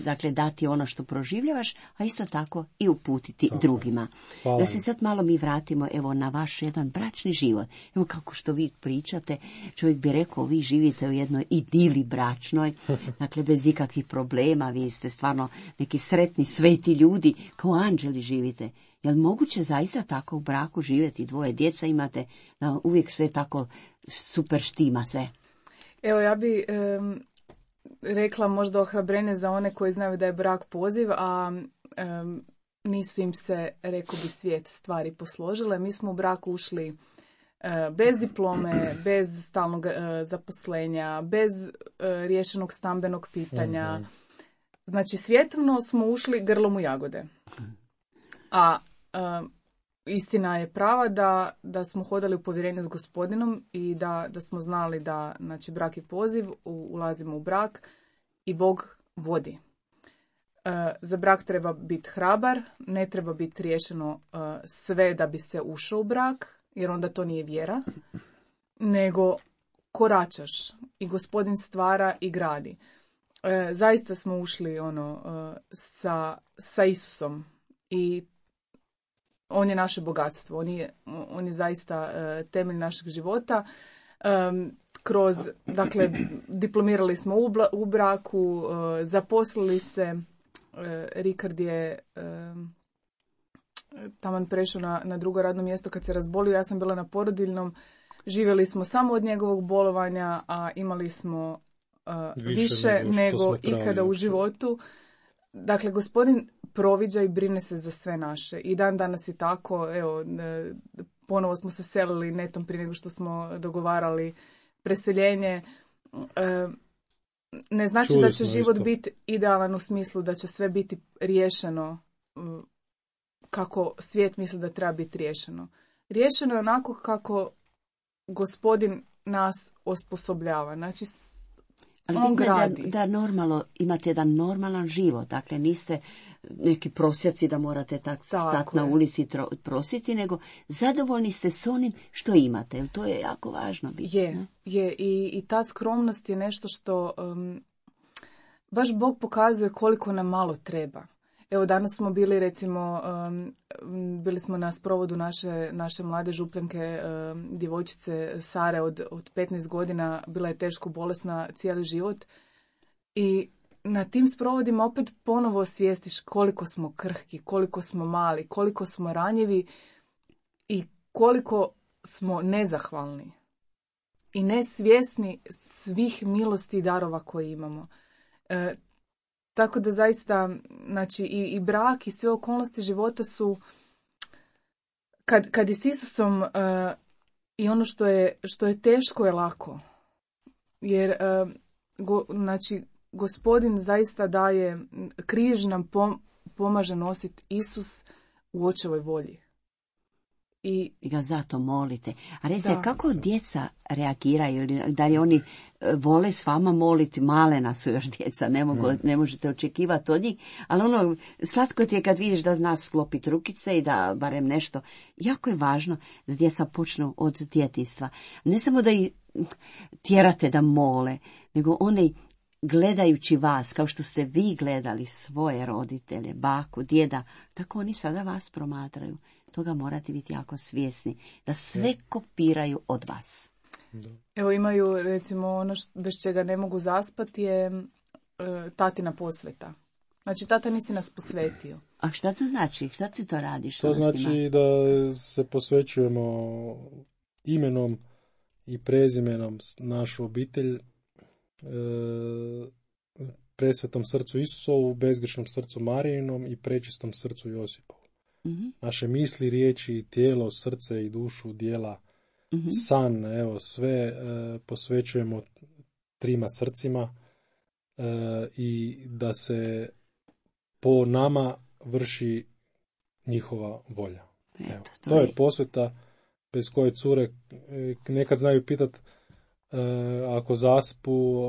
S1: dakle, dati ono što proživljavaš, a isto tako i uputiti tako drugima. Hvala. Da se sad malo mi vratimo, evo, na vaš jedan bračni život. Evo, kako što vi pričate, čovjek bi rekao, vi živite u jednoj idili bračnoj, dakle, bez ikakvih problema, vi ste stvarno neki sretni, sveti ljudi, kao anđeli živite. Je li moguće zaista tako u braku živjeti, dvoje djeca imate, da uvijek sve tako super štima sve?
S3: Evo, ja bi rekla možda ohrabrenje za one koji znaju da je brak poziv, a nisu im se, rekao bi, svijet stvari posložile. Mi smo u brak ušli bez diplome, bez stalnog zaposlenja, bez riješenog stambenog pitanja. Znači, svjetovno smo ušli grlom u jagode. A istina je prava da smo hodali u povjerenju s Gospodinom i da smo znali da, znači, brak je poziv, ulazimo u brak i Bog vodi. Za brak treba biti hrabar, ne treba biti riješeno sve da bi se ušao u brak, jer onda to nije vjera, nego koračaš i Gospodin stvara i gradi. Zaista smo ušli sa Isusom i on je naše bogatstvo, on je zaista temelj našeg života. Dakle, diplomirali smo u braku, zaposlili se, Rikard je taman prešao na drugo radno mjesto kad se razbolio, ja sam bila na porodiljnom, živjeli smo samo od njegovog bolovanja, a imali smo više nego ikada u životu. Dakle, Gospodin proviđa i brine se za sve naše. I dan danas je tako. Evo, ponovo smo se selili netom prije nego što smo dogovarali preseljenje. Ne znači da će život biti idealan u smislu da će sve biti riješeno kako svijet misli da treba biti riješeno. Riješeno je onako kako Gospodin nas osposobljava. Znači,
S1: ali da normalno imate jedan normalan život, dakle niste neki prosjaci da morate stati na ulici prositi, nego zadovoljni ste s onim što imate, jer to je jako važno biti.
S3: Je. I ta skromnost je nešto što baš Bog pokazuje koliko nam malo treba. Evo, danas smo bili, recimo, bili smo na sprovodu naše mlade župljanke, djevojčice Sare od 15 godina, bila je teško bolesna cijeli život. I na tim sprovodima opet ponovo osvijestiš koliko smo krhki, koliko smo mali, koliko smo ranjivi i koliko smo nezahvalni i nesvjesni svih milosti i darova koje imamo. Tako da zaista, znači, i brak i sve okolnosti života su, kad je s Isusom i ono što je teško je lako. Jer, znači, Gospodin zaista daje, križ nam pomaže nositi Isus u očevoj volji. I
S1: ga zato molite. A recite, kako djeca reagiraju? Da li oni vole s vama moliti? Malena su još djeca, ne možete očekivati od njih. Ali slatko ti je kad vidiš da zna sklopiti rukice i da barem nešto. Jako je važno da djeca počnu od djetinjstva. Ne samo da ih tjerate da mole, nego oni gledajući vas, kao što ste vi gledali svoje roditelje, baku, djeda, tako oni sada vas promatraju. Toga morate biti jako svjesni, da sve kopiraju od vas.
S3: Evo, imaju, recimo, ono bez čega ne mogu zaspati je tatina posveta. Znači, tata nisi nas posvetio.
S1: A šta to znači? Šta ti to radiš?
S2: To znači da se posvećujemo imenom i prezimenom našu obitelj, presvetom srcu Isusovu, bezgrešnom srcu Marijinom i prečistom srcu Josipovu. Naše misli, riječi, tijelo, srce i dušu, djela, san, evo, sve posvećujemo trima srcima i da se po nama vrši njihova volja. Evo, to je posveta bez koje cure nekad znaju pitat ako zaspu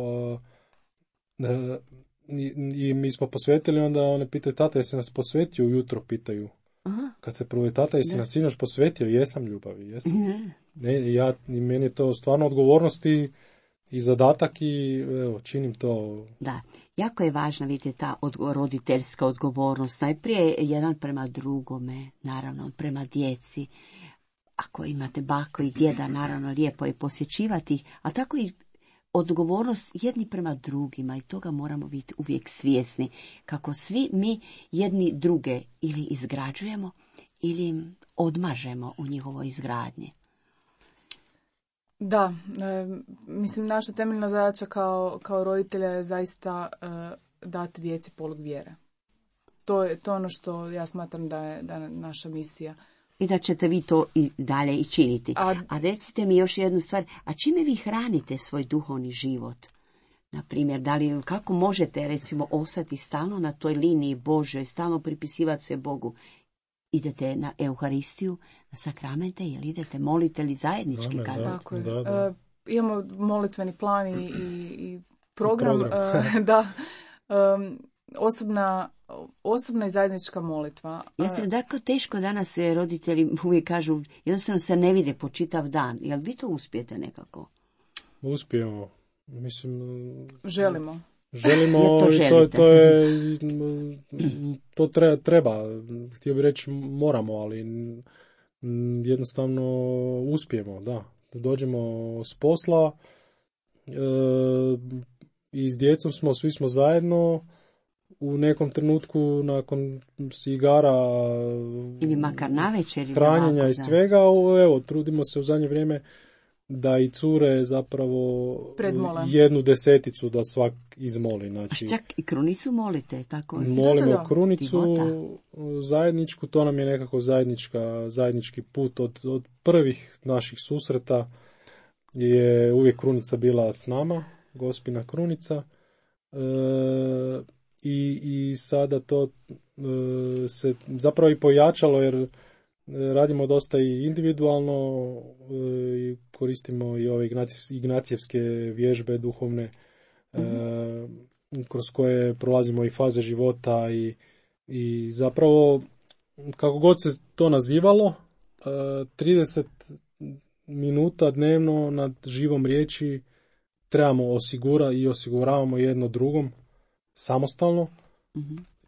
S2: i mi smo posvetili, onda one pitaju, tata, jesi nas posvetio ujutro, pitaju. Aha. Kad se prvo tata, jesi nas sinoć posvetio, jesam ljubavi, jesam. I meni je to stvarno odgovornost i zadatak i evo, činim to.
S1: Da, jako je važna, vidite, ta roditeljska odgovornost. Najprije jedan prema drugome, naravno, prema djeci. Ako imate bako i djeda, naravno, lijepo je posjećivati ih, a tako i odgovornost jedni prema drugima i toga moramo biti uvijek svjesni, kako svi mi jedni druge ili izgrađujemo ili odmažemo u njihovoj izgradnji.
S3: Da, mislim, naša temeljna zadaća kao roditelja je zaista dati djeci polog vjere. To je ono što ja smatram da je naša misija.
S1: I da ćete vi to i dalje i činiti. A recite mi još jednu stvar, a čime vi hranite svoj duhovni život? Naprimjer, kako možete recimo ostati stalno na toj liniji Božoj, stalno pripisivati se Bogu? Idete na Euharistiju, na sakramente ili idete molite li zajednički?
S3: Tako je. Imamo molitveni plan i program. Da. Osobna i zajednička molitva.
S1: Ja se tako teško danas roditelji uvijek kažu, jednostavno se ne vide po čitav dan. Jel vi to uspijete nekako?
S2: Uspijemo. Mislim,
S3: želimo
S2: i to treba. Htio bih reći moramo, ali jednostavno uspijemo, da. Dođemo s posla i s djecom svi smo zajedno. U nekom trenutku nakon igara
S1: ili makar navečer
S2: hranjenja
S1: ovako,
S2: i svega, evo, trudimo se u zadnje vrijeme da i cure zapravo
S3: predmole.
S2: 1/10 da svak izmoli. Znači,
S1: a čak i krunicu molite, tako?
S2: Molimo krunicu zajedničku, to nam je nekako zajednički put od prvih naših susreta je uvijek krunica bila s nama, Gospina krunica. I sada to se zapravo i pojačalo jer radimo dosta i individualno i koristimo i ove ignacijevske vježbe duhovne kroz koje prolazimo i faze života i zapravo kako god se to nazivalo 30 minuta dnevno nad živom riječi trebamo osigurati i osiguravamo jedno drugom samostalno.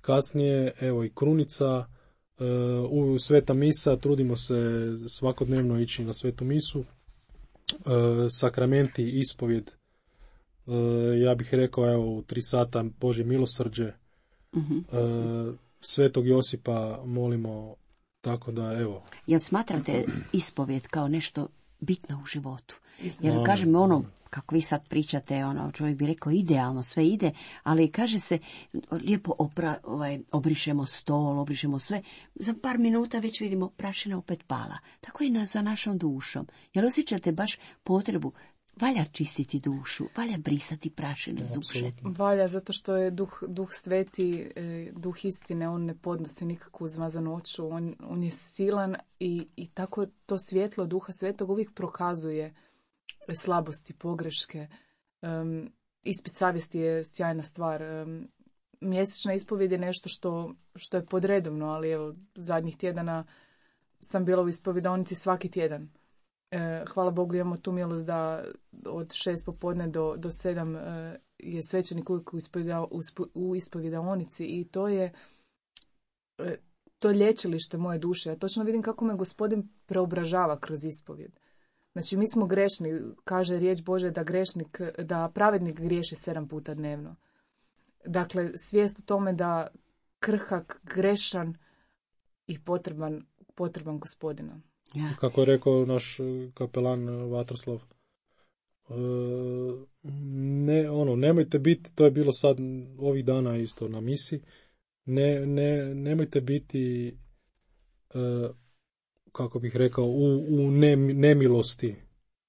S2: Kasnije, evo i krunica, u sveta misa, trudimo se svakodnevno ići na svetu misu, sakramenti, ispovjed, ja bih rekao, evo, u 3 sata Božje milosrđe, Svetog Josipa molimo, tako da, evo.
S1: Jel smatrate ispovjed kao nešto bitno u životu? Jer kažem ono, kako vi sad pričate, čovjek bi rekao idealno, sve ide, ali kaže se lijepo obrišemo stol, obrišemo sve, za par minuta već vidimo prašina opet pala. Tako i za našom dušom. Jer osjećate baš potrebu, valja čistiti dušu, valja brisati prašinu s duše.
S3: Valja, zato što je duh sveti, duh istine, on ne podnosi nikakvu zmazanoću, on je silan i tako to svjetlo duha svetog uvijek prokazuje slabosti, pogreške. Ispit savjesti je sjajna stvar. Mjesečna ispovjed je nešto što je podredovno, ali evo, zadnjih tjedana sam bila u ispovjedonici svaki tjedan. Hvala Bogu, imamo tu milost da od 6 popodne do 7 je svećenik uvijek u ispovjedonici i to je lječilište moje duše. Ja točno vidim kako me Gospodin preobražava kroz ispovjed. Znači, mi smo grešni, kaže riječ Bože da pravednik griješi 7 puta dnevno. Dakle, svijest o tome da krhak, grešan i potreban Gospodina.
S1: Ja.
S2: Kako je rekao naš kapelan Vatroslav, nemojte biti, to je bilo sad ovih dana isto na misi, nemojte biti, kako bih rekao, u nemilosti.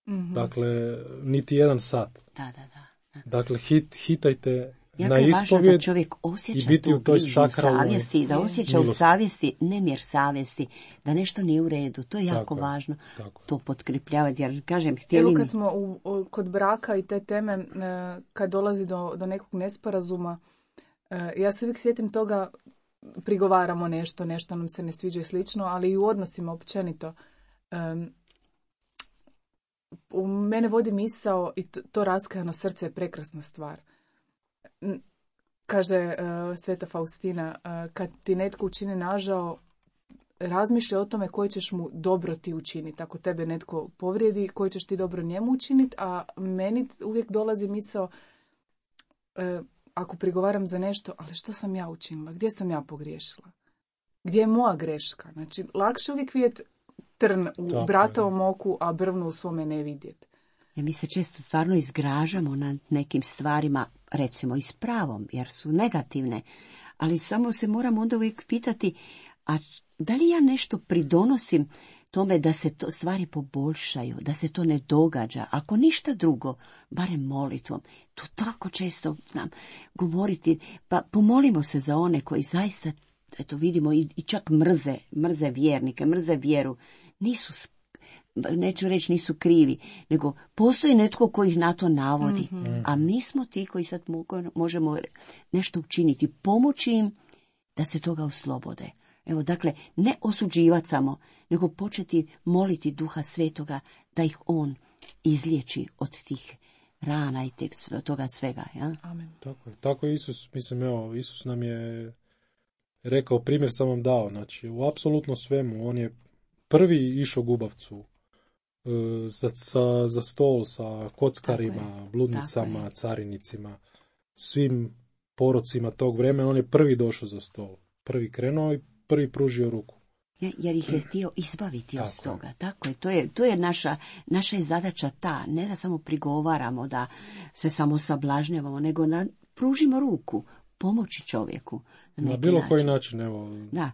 S2: Mm-hmm. Dakle, niti jedan sat.
S1: Da.
S2: Dakle, hitajte
S1: jako
S2: na
S1: je važno
S2: ispovjed
S1: da čovjek osjeća
S2: i biti
S1: tu
S2: u toj
S1: grižnju
S2: sakralnoj
S1: savjesti, da osjeća
S2: milosti.
S1: u savjesti nemir savjesti, da nešto nije u redu. To je jako
S2: tako
S1: važno
S2: tako.
S1: to potkrepljavati. Jer, kažem,
S3: Evo kad smo kod braka i te teme, kad dolazi do nekog nesporazuma, ja se uvijek sjetim toga, prigovaramo nešto nam se ne sviđa i slično, ali i u odnosima općenito. U mene vodi misao i to raskajano srce je prekrasna stvar. Kaže Sveta Faustina, kad ti netko učini nažao, razmišlja o tome koje ćeš mu dobro ti učiniti. Ako tebe netko povrijedi, koje ćeš ti dobro njemu učiniti, a meni uvijek dolazi misao, ako prigovaram za nešto, ali što sam ja učinila? Gdje sam ja pogriješila? Gdje je moja greška? Znači, lakše uvijek vidjeti trn u bratovom oku, a brvnu u svome ne vidjeti.
S1: Ja, mi se često stvarno izgražamo na nekim stvarima, recimo i s pravom, jer su negativne, ali samo se moramo onda uvijek pitati, a da li ja nešto pridonosim tome da se to stvari poboljšaju, da se to ne događa, ako ništa drugo, barem molitvom. To tako često znam govoriti, pa pomolimo se za one koji zaista, eto vidimo, i čak mrze vjernike, mrze vjeru, neću reći nisu krivi, nego postoji netko koji ih na to navodi, a mi smo ti koji sad možemo nešto učiniti, pomoći im da se toga oslobode. Evo, dakle, ne osuđivati samo, nego početi moliti Duha Svetoga da ih on izliječi od tih rana i toga svega. Ja?
S3: Amen.
S2: Tako je Isus, Isus nam je rekao, primjer sam vam dao, znači u apsolutno svemu, on je prvi išao gubavcu za stol sa kockarima, bludnicama, carinicima, svim porocima tog vremena, on je prvi došao za stol, prvi krenuo i prvi pružio ruku.
S1: Jer ih je htio izbaviti od toga. Tako je. To je naša je zadaća ta, ne da samo prigovaramo, da se samo sablažnjavamo, nego pružimo ruku, pomoći čovjeku.
S2: Na bilo koji način, evo.
S1: Da,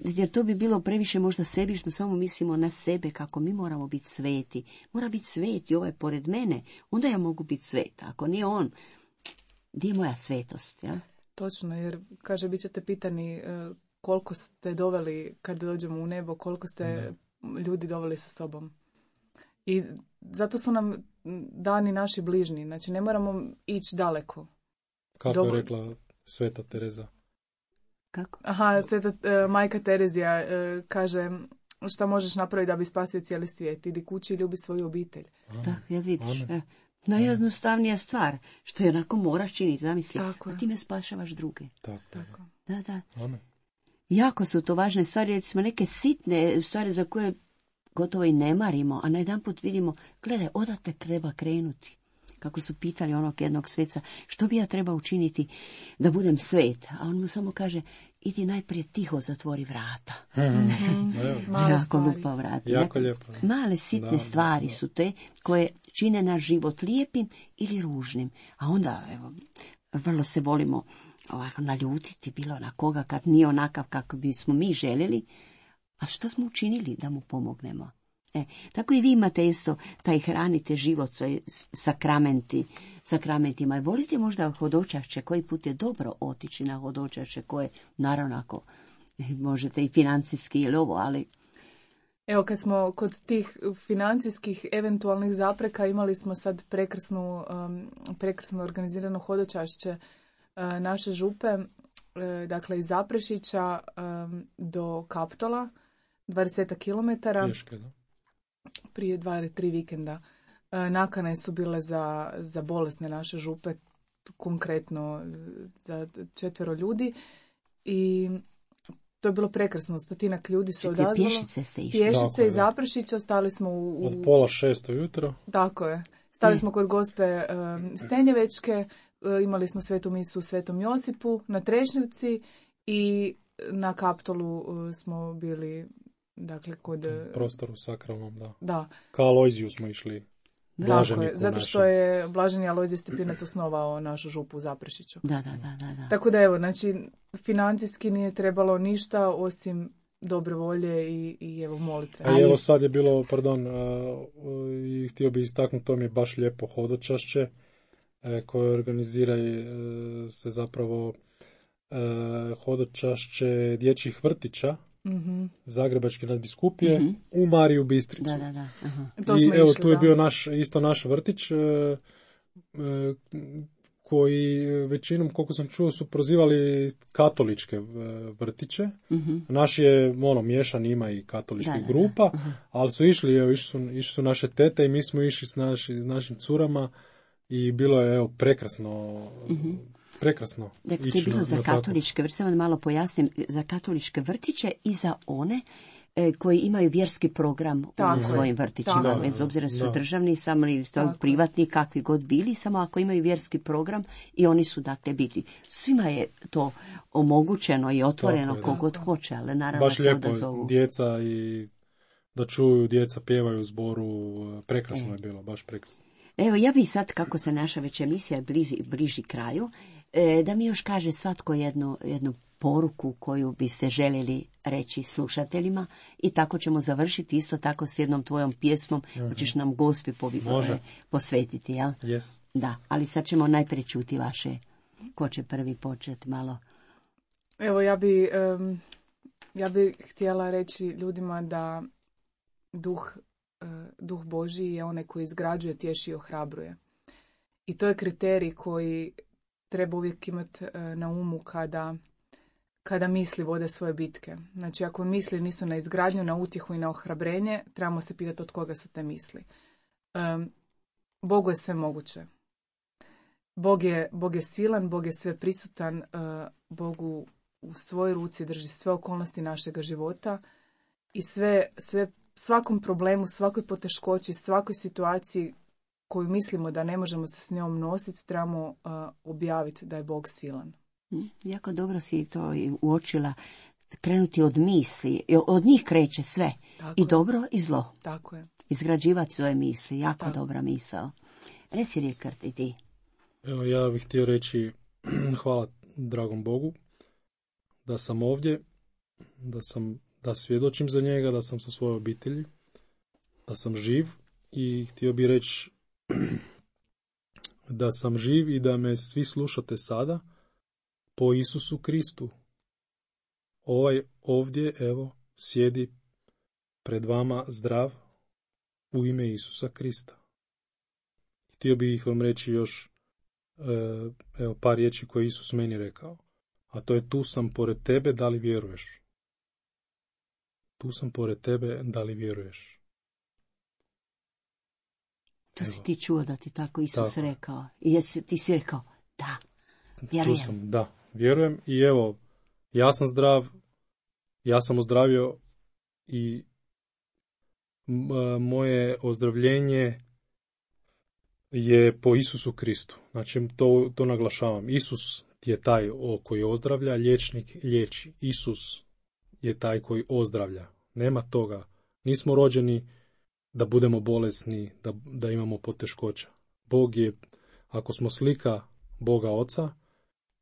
S1: jer to bi bilo previše možda sebično, samo mislimo na sebe kako mi moramo biti sveti. Mora biti sveti, ovaj pored mene, onda ja mogu biti sveta. Ako nije on, gdje je moja svetost? Ja?
S3: Točno, jer kaže, bit ćete pitani koliko ste doveli kad dođemo u nebo, koliko ste ljudi doveli sa sobom. I zato su nam dani naši bližnji, znači ne moramo ići daleko.
S2: Kako je rekla Sveta Tereza?
S1: Kako?
S3: Aha, Sveta majka Terezija kaže, šta možeš napraviti da bi spasio cijeli svijet? Idi kući i ljubi svoju obitelj.
S1: Da, ja vidiš. Najjednostavnija stvar, što je onako moraš činiti, zamisli, a time spašavaš druge.
S2: Tako.
S1: Da.
S2: Amen.
S1: Jako su to važne stvari, jer smo neke sitne stvari za koje gotovo i ne marimo, a najedanput vidimo, gledaj, odate treba krenuti. Kako su pitali onog jednog sveca, što bi ja trebao učiniti da budem svet? A on mu samo kaže, idi najprije tiho zatvori vrata. Jako lupa vrata.
S2: Jako lijepo.
S1: Male sitne stvari su te koje čine naš život lijepim ili ružnim. A onda, evo, vrlo se volimo ovako naljutiti bilo na koga kad nije onakav kako bismo mi željeli, a što smo učinili da mu pomognemo? Tako i vi imate isto taj hranite život sakramentima. Volite možda hodočašće, koji put je dobro otići na hodočašće, koje naravno ako možete i financijski ili ovo, ali...
S3: Evo, kad smo kod tih financijskih eventualnih zapreka, imali smo sad prekrasno organizirano hodočašće naše župe, dakle iz Zaprešića do Kaptola, 20 kilometara.
S2: Pješke, da?
S3: Prije 2 ili 3 vikenda. Nakane su bile za bolesne naše župe, konkretno za 4 ljudi. I to je bilo prekrasno. 100 ljudi se odazvalo.
S1: Pješice ste išli.
S3: Pješice iz Zaprešića, stali smo
S2: od 5:30 ujutro.
S3: Tako je. Stali smo kod gospe Stenjevečke, imali smo svetu misu u Svetom Josipu na Trešnjevci i na Kaptolu smo bili dakle kod...
S2: Prostoru sakralnom, da.
S3: Da.
S2: Kao Alojziju smo išli.
S3: Tako je, zato što je Blaženi Alojzij Stepinac osnovao našu župu u Zaprešiću.
S1: Da.
S3: Tako da evo, znači, financijski nije trebalo ništa osim dobre volje i evo molitve.
S2: A evo sad je bilo, i htio bih istaknuti, to mi je baš lijepo hodočašće koje organizira se zapravo hodočašće dječjih vrtića, Zagrebačke nadbiskupije, u Mariju Bistricu.
S1: Da.
S2: I evo, tu je bio naš vrtić, koji većinom, koliko sam čuo, su prozivali katoličke vrtiće. Naš je miješan, ima i katoličkih grupa, ali su išli su naše tete i mi smo išli s našim curama i bilo je prekrasno. Prekrasno.
S1: Dakle, to je bilo za katoličke vrtiće, samo da malo pojasnim, za katoličke vrtiće i za one koji imaju vjerski program u svojim vrtićima, bez obzira su državni, samo ili privatni, kakvi god bili, samo ako imaju vjerski program i oni su dakle biti. Svima je to omogućeno i otvoreno kogod hoće, ali naravno
S2: baš lijepo djeca i da čuju, djeca pjevaju u zboru, prekrasno je bilo, baš prekrasno.
S1: Evo, ja bih sad, kako se naša već emisija bliži kraju, da mi još kaže svatko jednu poruku koju biste željeli reći slušateljima i tako ćemo završiti isto tako s jednom tvojom pjesmom koju ćeš nam Gospi posvetiti, jel?
S2: Yes.
S1: Da, ali sad ćemo najprije čuti vaše, ko će prvi početi malo.
S3: Evo, ja bi htjela reći ljudima da Duh Božji je onaj koji izgrađuje, tješi i ohrabruje. I to je kriterij koji treba uvijek imati na umu kada misli vode svoje bitke. Znači, ako misli nisu na izgradnju, na utjehu i na ohrabrenje, trebamo se pitati od koga su te misli. Bogu je sve moguće. Bog je silan, Bog je sve prisutan, Bogu u svojoj ruci drži sve okolnosti našega života i svakom problemu, svakoj poteškoći, svakoj situaciji koju mislimo da ne možemo se s njom nositi, trebamo objaviti da je Bog silan.
S1: Jako dobro si to uočila, krenuti od misli, od njih kreće sve, tako i dobro i zlo.
S3: Tako je.
S1: Izgrađivati svoje misli, jako dobra misao. Reci, Rikard, i ti.
S2: Evo, ja bih htio reći hvala dragom Bogu da sam ovdje, da svjedočim za njega, da sam sa svojoj obitelji, da sam živ i htio bih reći da sam živ i da me svi slušate sada po Isusu Kristu. Ovaj ovdje, evo, sjedi pred vama zdrav u ime Isusa Krista. Htio bih vam reći još par riječi koje Isus meni rekao, a to je: tu sam pored tebe, da li vjeruješ? Tu sam pored tebe, da li vjeruješ?
S1: To si ti čuo da ti tako Isus rekao. I ti si rekao, da, vjerujem.
S2: Tu sam, da, vjerujem. I evo, ja sam zdrav, ja sam ozdravio i moje ozdravljenje je po Isusu Kristu. Znači, to naglašavam. Isus je taj koji ozdravlja, liječnik liječi. Isus je taj koji ozdravlja. Nema toga. Nismo rođeni da budemo bolesni, da imamo poteškoća. Bog je, ako smo slika Boga Oca,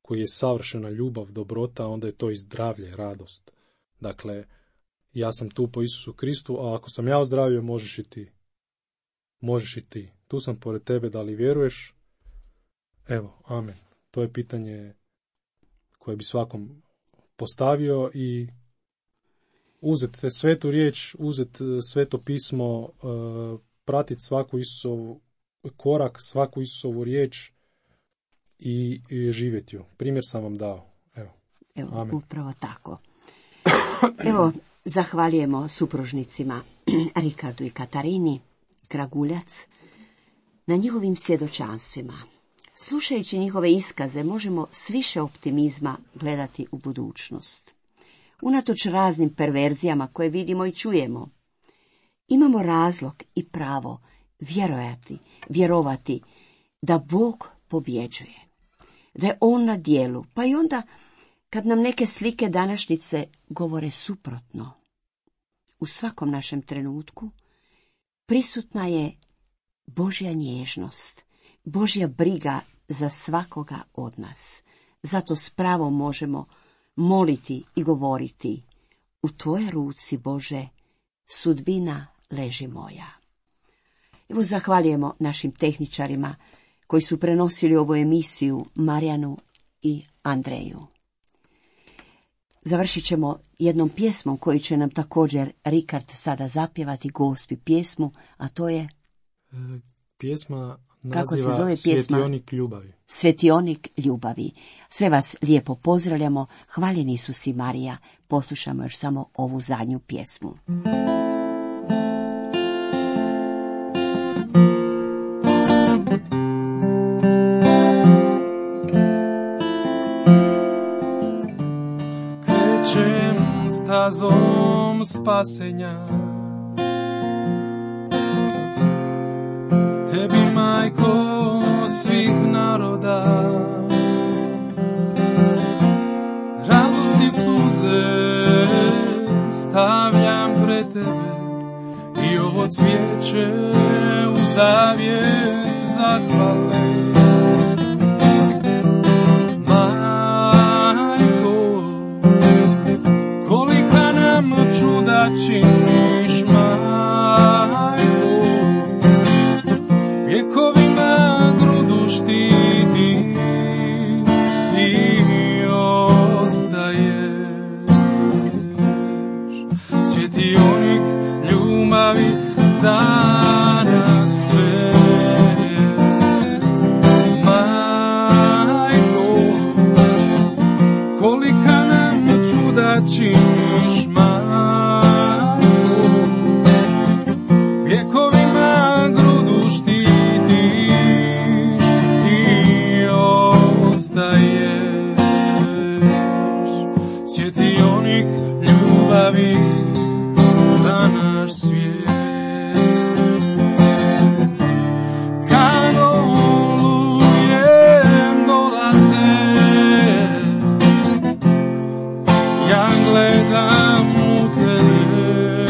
S2: koji je savršena ljubav, dobrota, onda je to i zdravlje, radost. Dakle, ja sam tu po Isusu Kristu, a ako sam ja ozdravio, možeš i ti. Možeš i ti. Tu sam pored tebe, da li vjeruješ? Evo, amen. To je pitanje koje bi svakom postavio i uzeti svetu riječ, uzeti sveto pismo, pratiti svaku Isusovu korak, svaku Isusovu riječ i živjeti ju. Primjer sam vam dao.
S1: Evo, amen. Upravo tako. Evo, zahvaljujemo supružnicima Rikardu i Katarini Kraguljac na njihovim svjedočanstvima. Slušajući njihove iskaze možemo s više optimizma gledati u budućnost. Unatoč raznim perverzijama koje vidimo i čujemo, imamo razlog i pravo vjerovati da Bog pobjeđuje, da je On na djelu, pa i onda kad nam neke slike današnjice govore suprotno. U svakom našem trenutku prisutna je Božja nježnost, Božja briga za svakoga od nas. Zato s pravom možemo moliti i govoriti: u tvojoj ruci, Bože, sudbina leži moja. Evo, zahvaljujemo našim tehničarima koji su prenosili ovu emisiju, Marijanu i Andreju. Završit ćemo jednom pjesmom koju će nam također Rikard sada zapjevati, Gospi pjesmu, a to je...
S2: Pjesma
S1: Kako se
S2: naziva
S1: zove
S2: Svjetionik ljubavi.
S1: Svjetionik ljubavi. Sve vas lijepo pozdravljamo, hvaljeni Isus i Marija. Poslušamo još samo ovu zadnju pjesmu.
S4: Krećem stazom spasenja, tebi, majko svih naroda, radosti suze stavljam pred tebe i ovo cvijeće u zavjet zahvale. Majko, kolika nam čuda činiš, majko, vjekovima grudu štiti i ostaješ. Svjetionik ljubavi za nas sve. Majko, kolika nam čuda činiš, majko, vjekovima grudu štitiš i ostaješ. Svjetionik ljubavi za naš svijet. Kad olujem dolaze, ja gledam u tebe,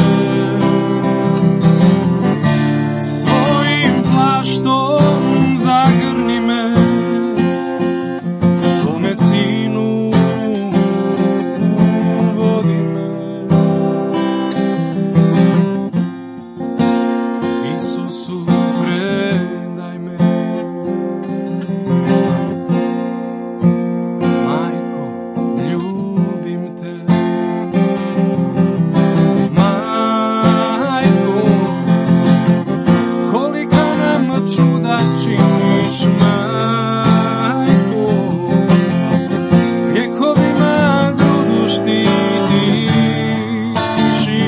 S4: svojim plaštom zagrni me, svome sinu vodi me. Isusu predaj me, majko, ljubim te. Majko, kolika nam čuda činiš, majko, vjekovima grudu štitiš i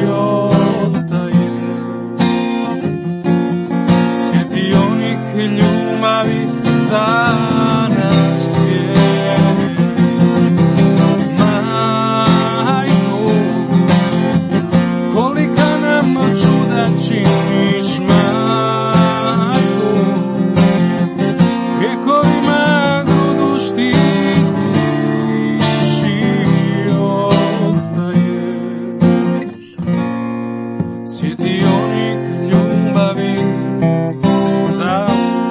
S4: ostaješ. Svjetionik ljubavi za naš svijet. Majko, kolika nam čuda činiš, majko, vjekovima grudu štitiš i ostaješ. Svjetionik ljubavi za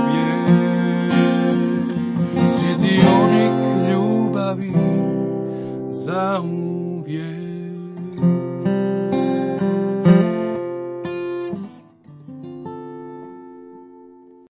S4: uvijek. Svjetionik ljubavi za uvijek.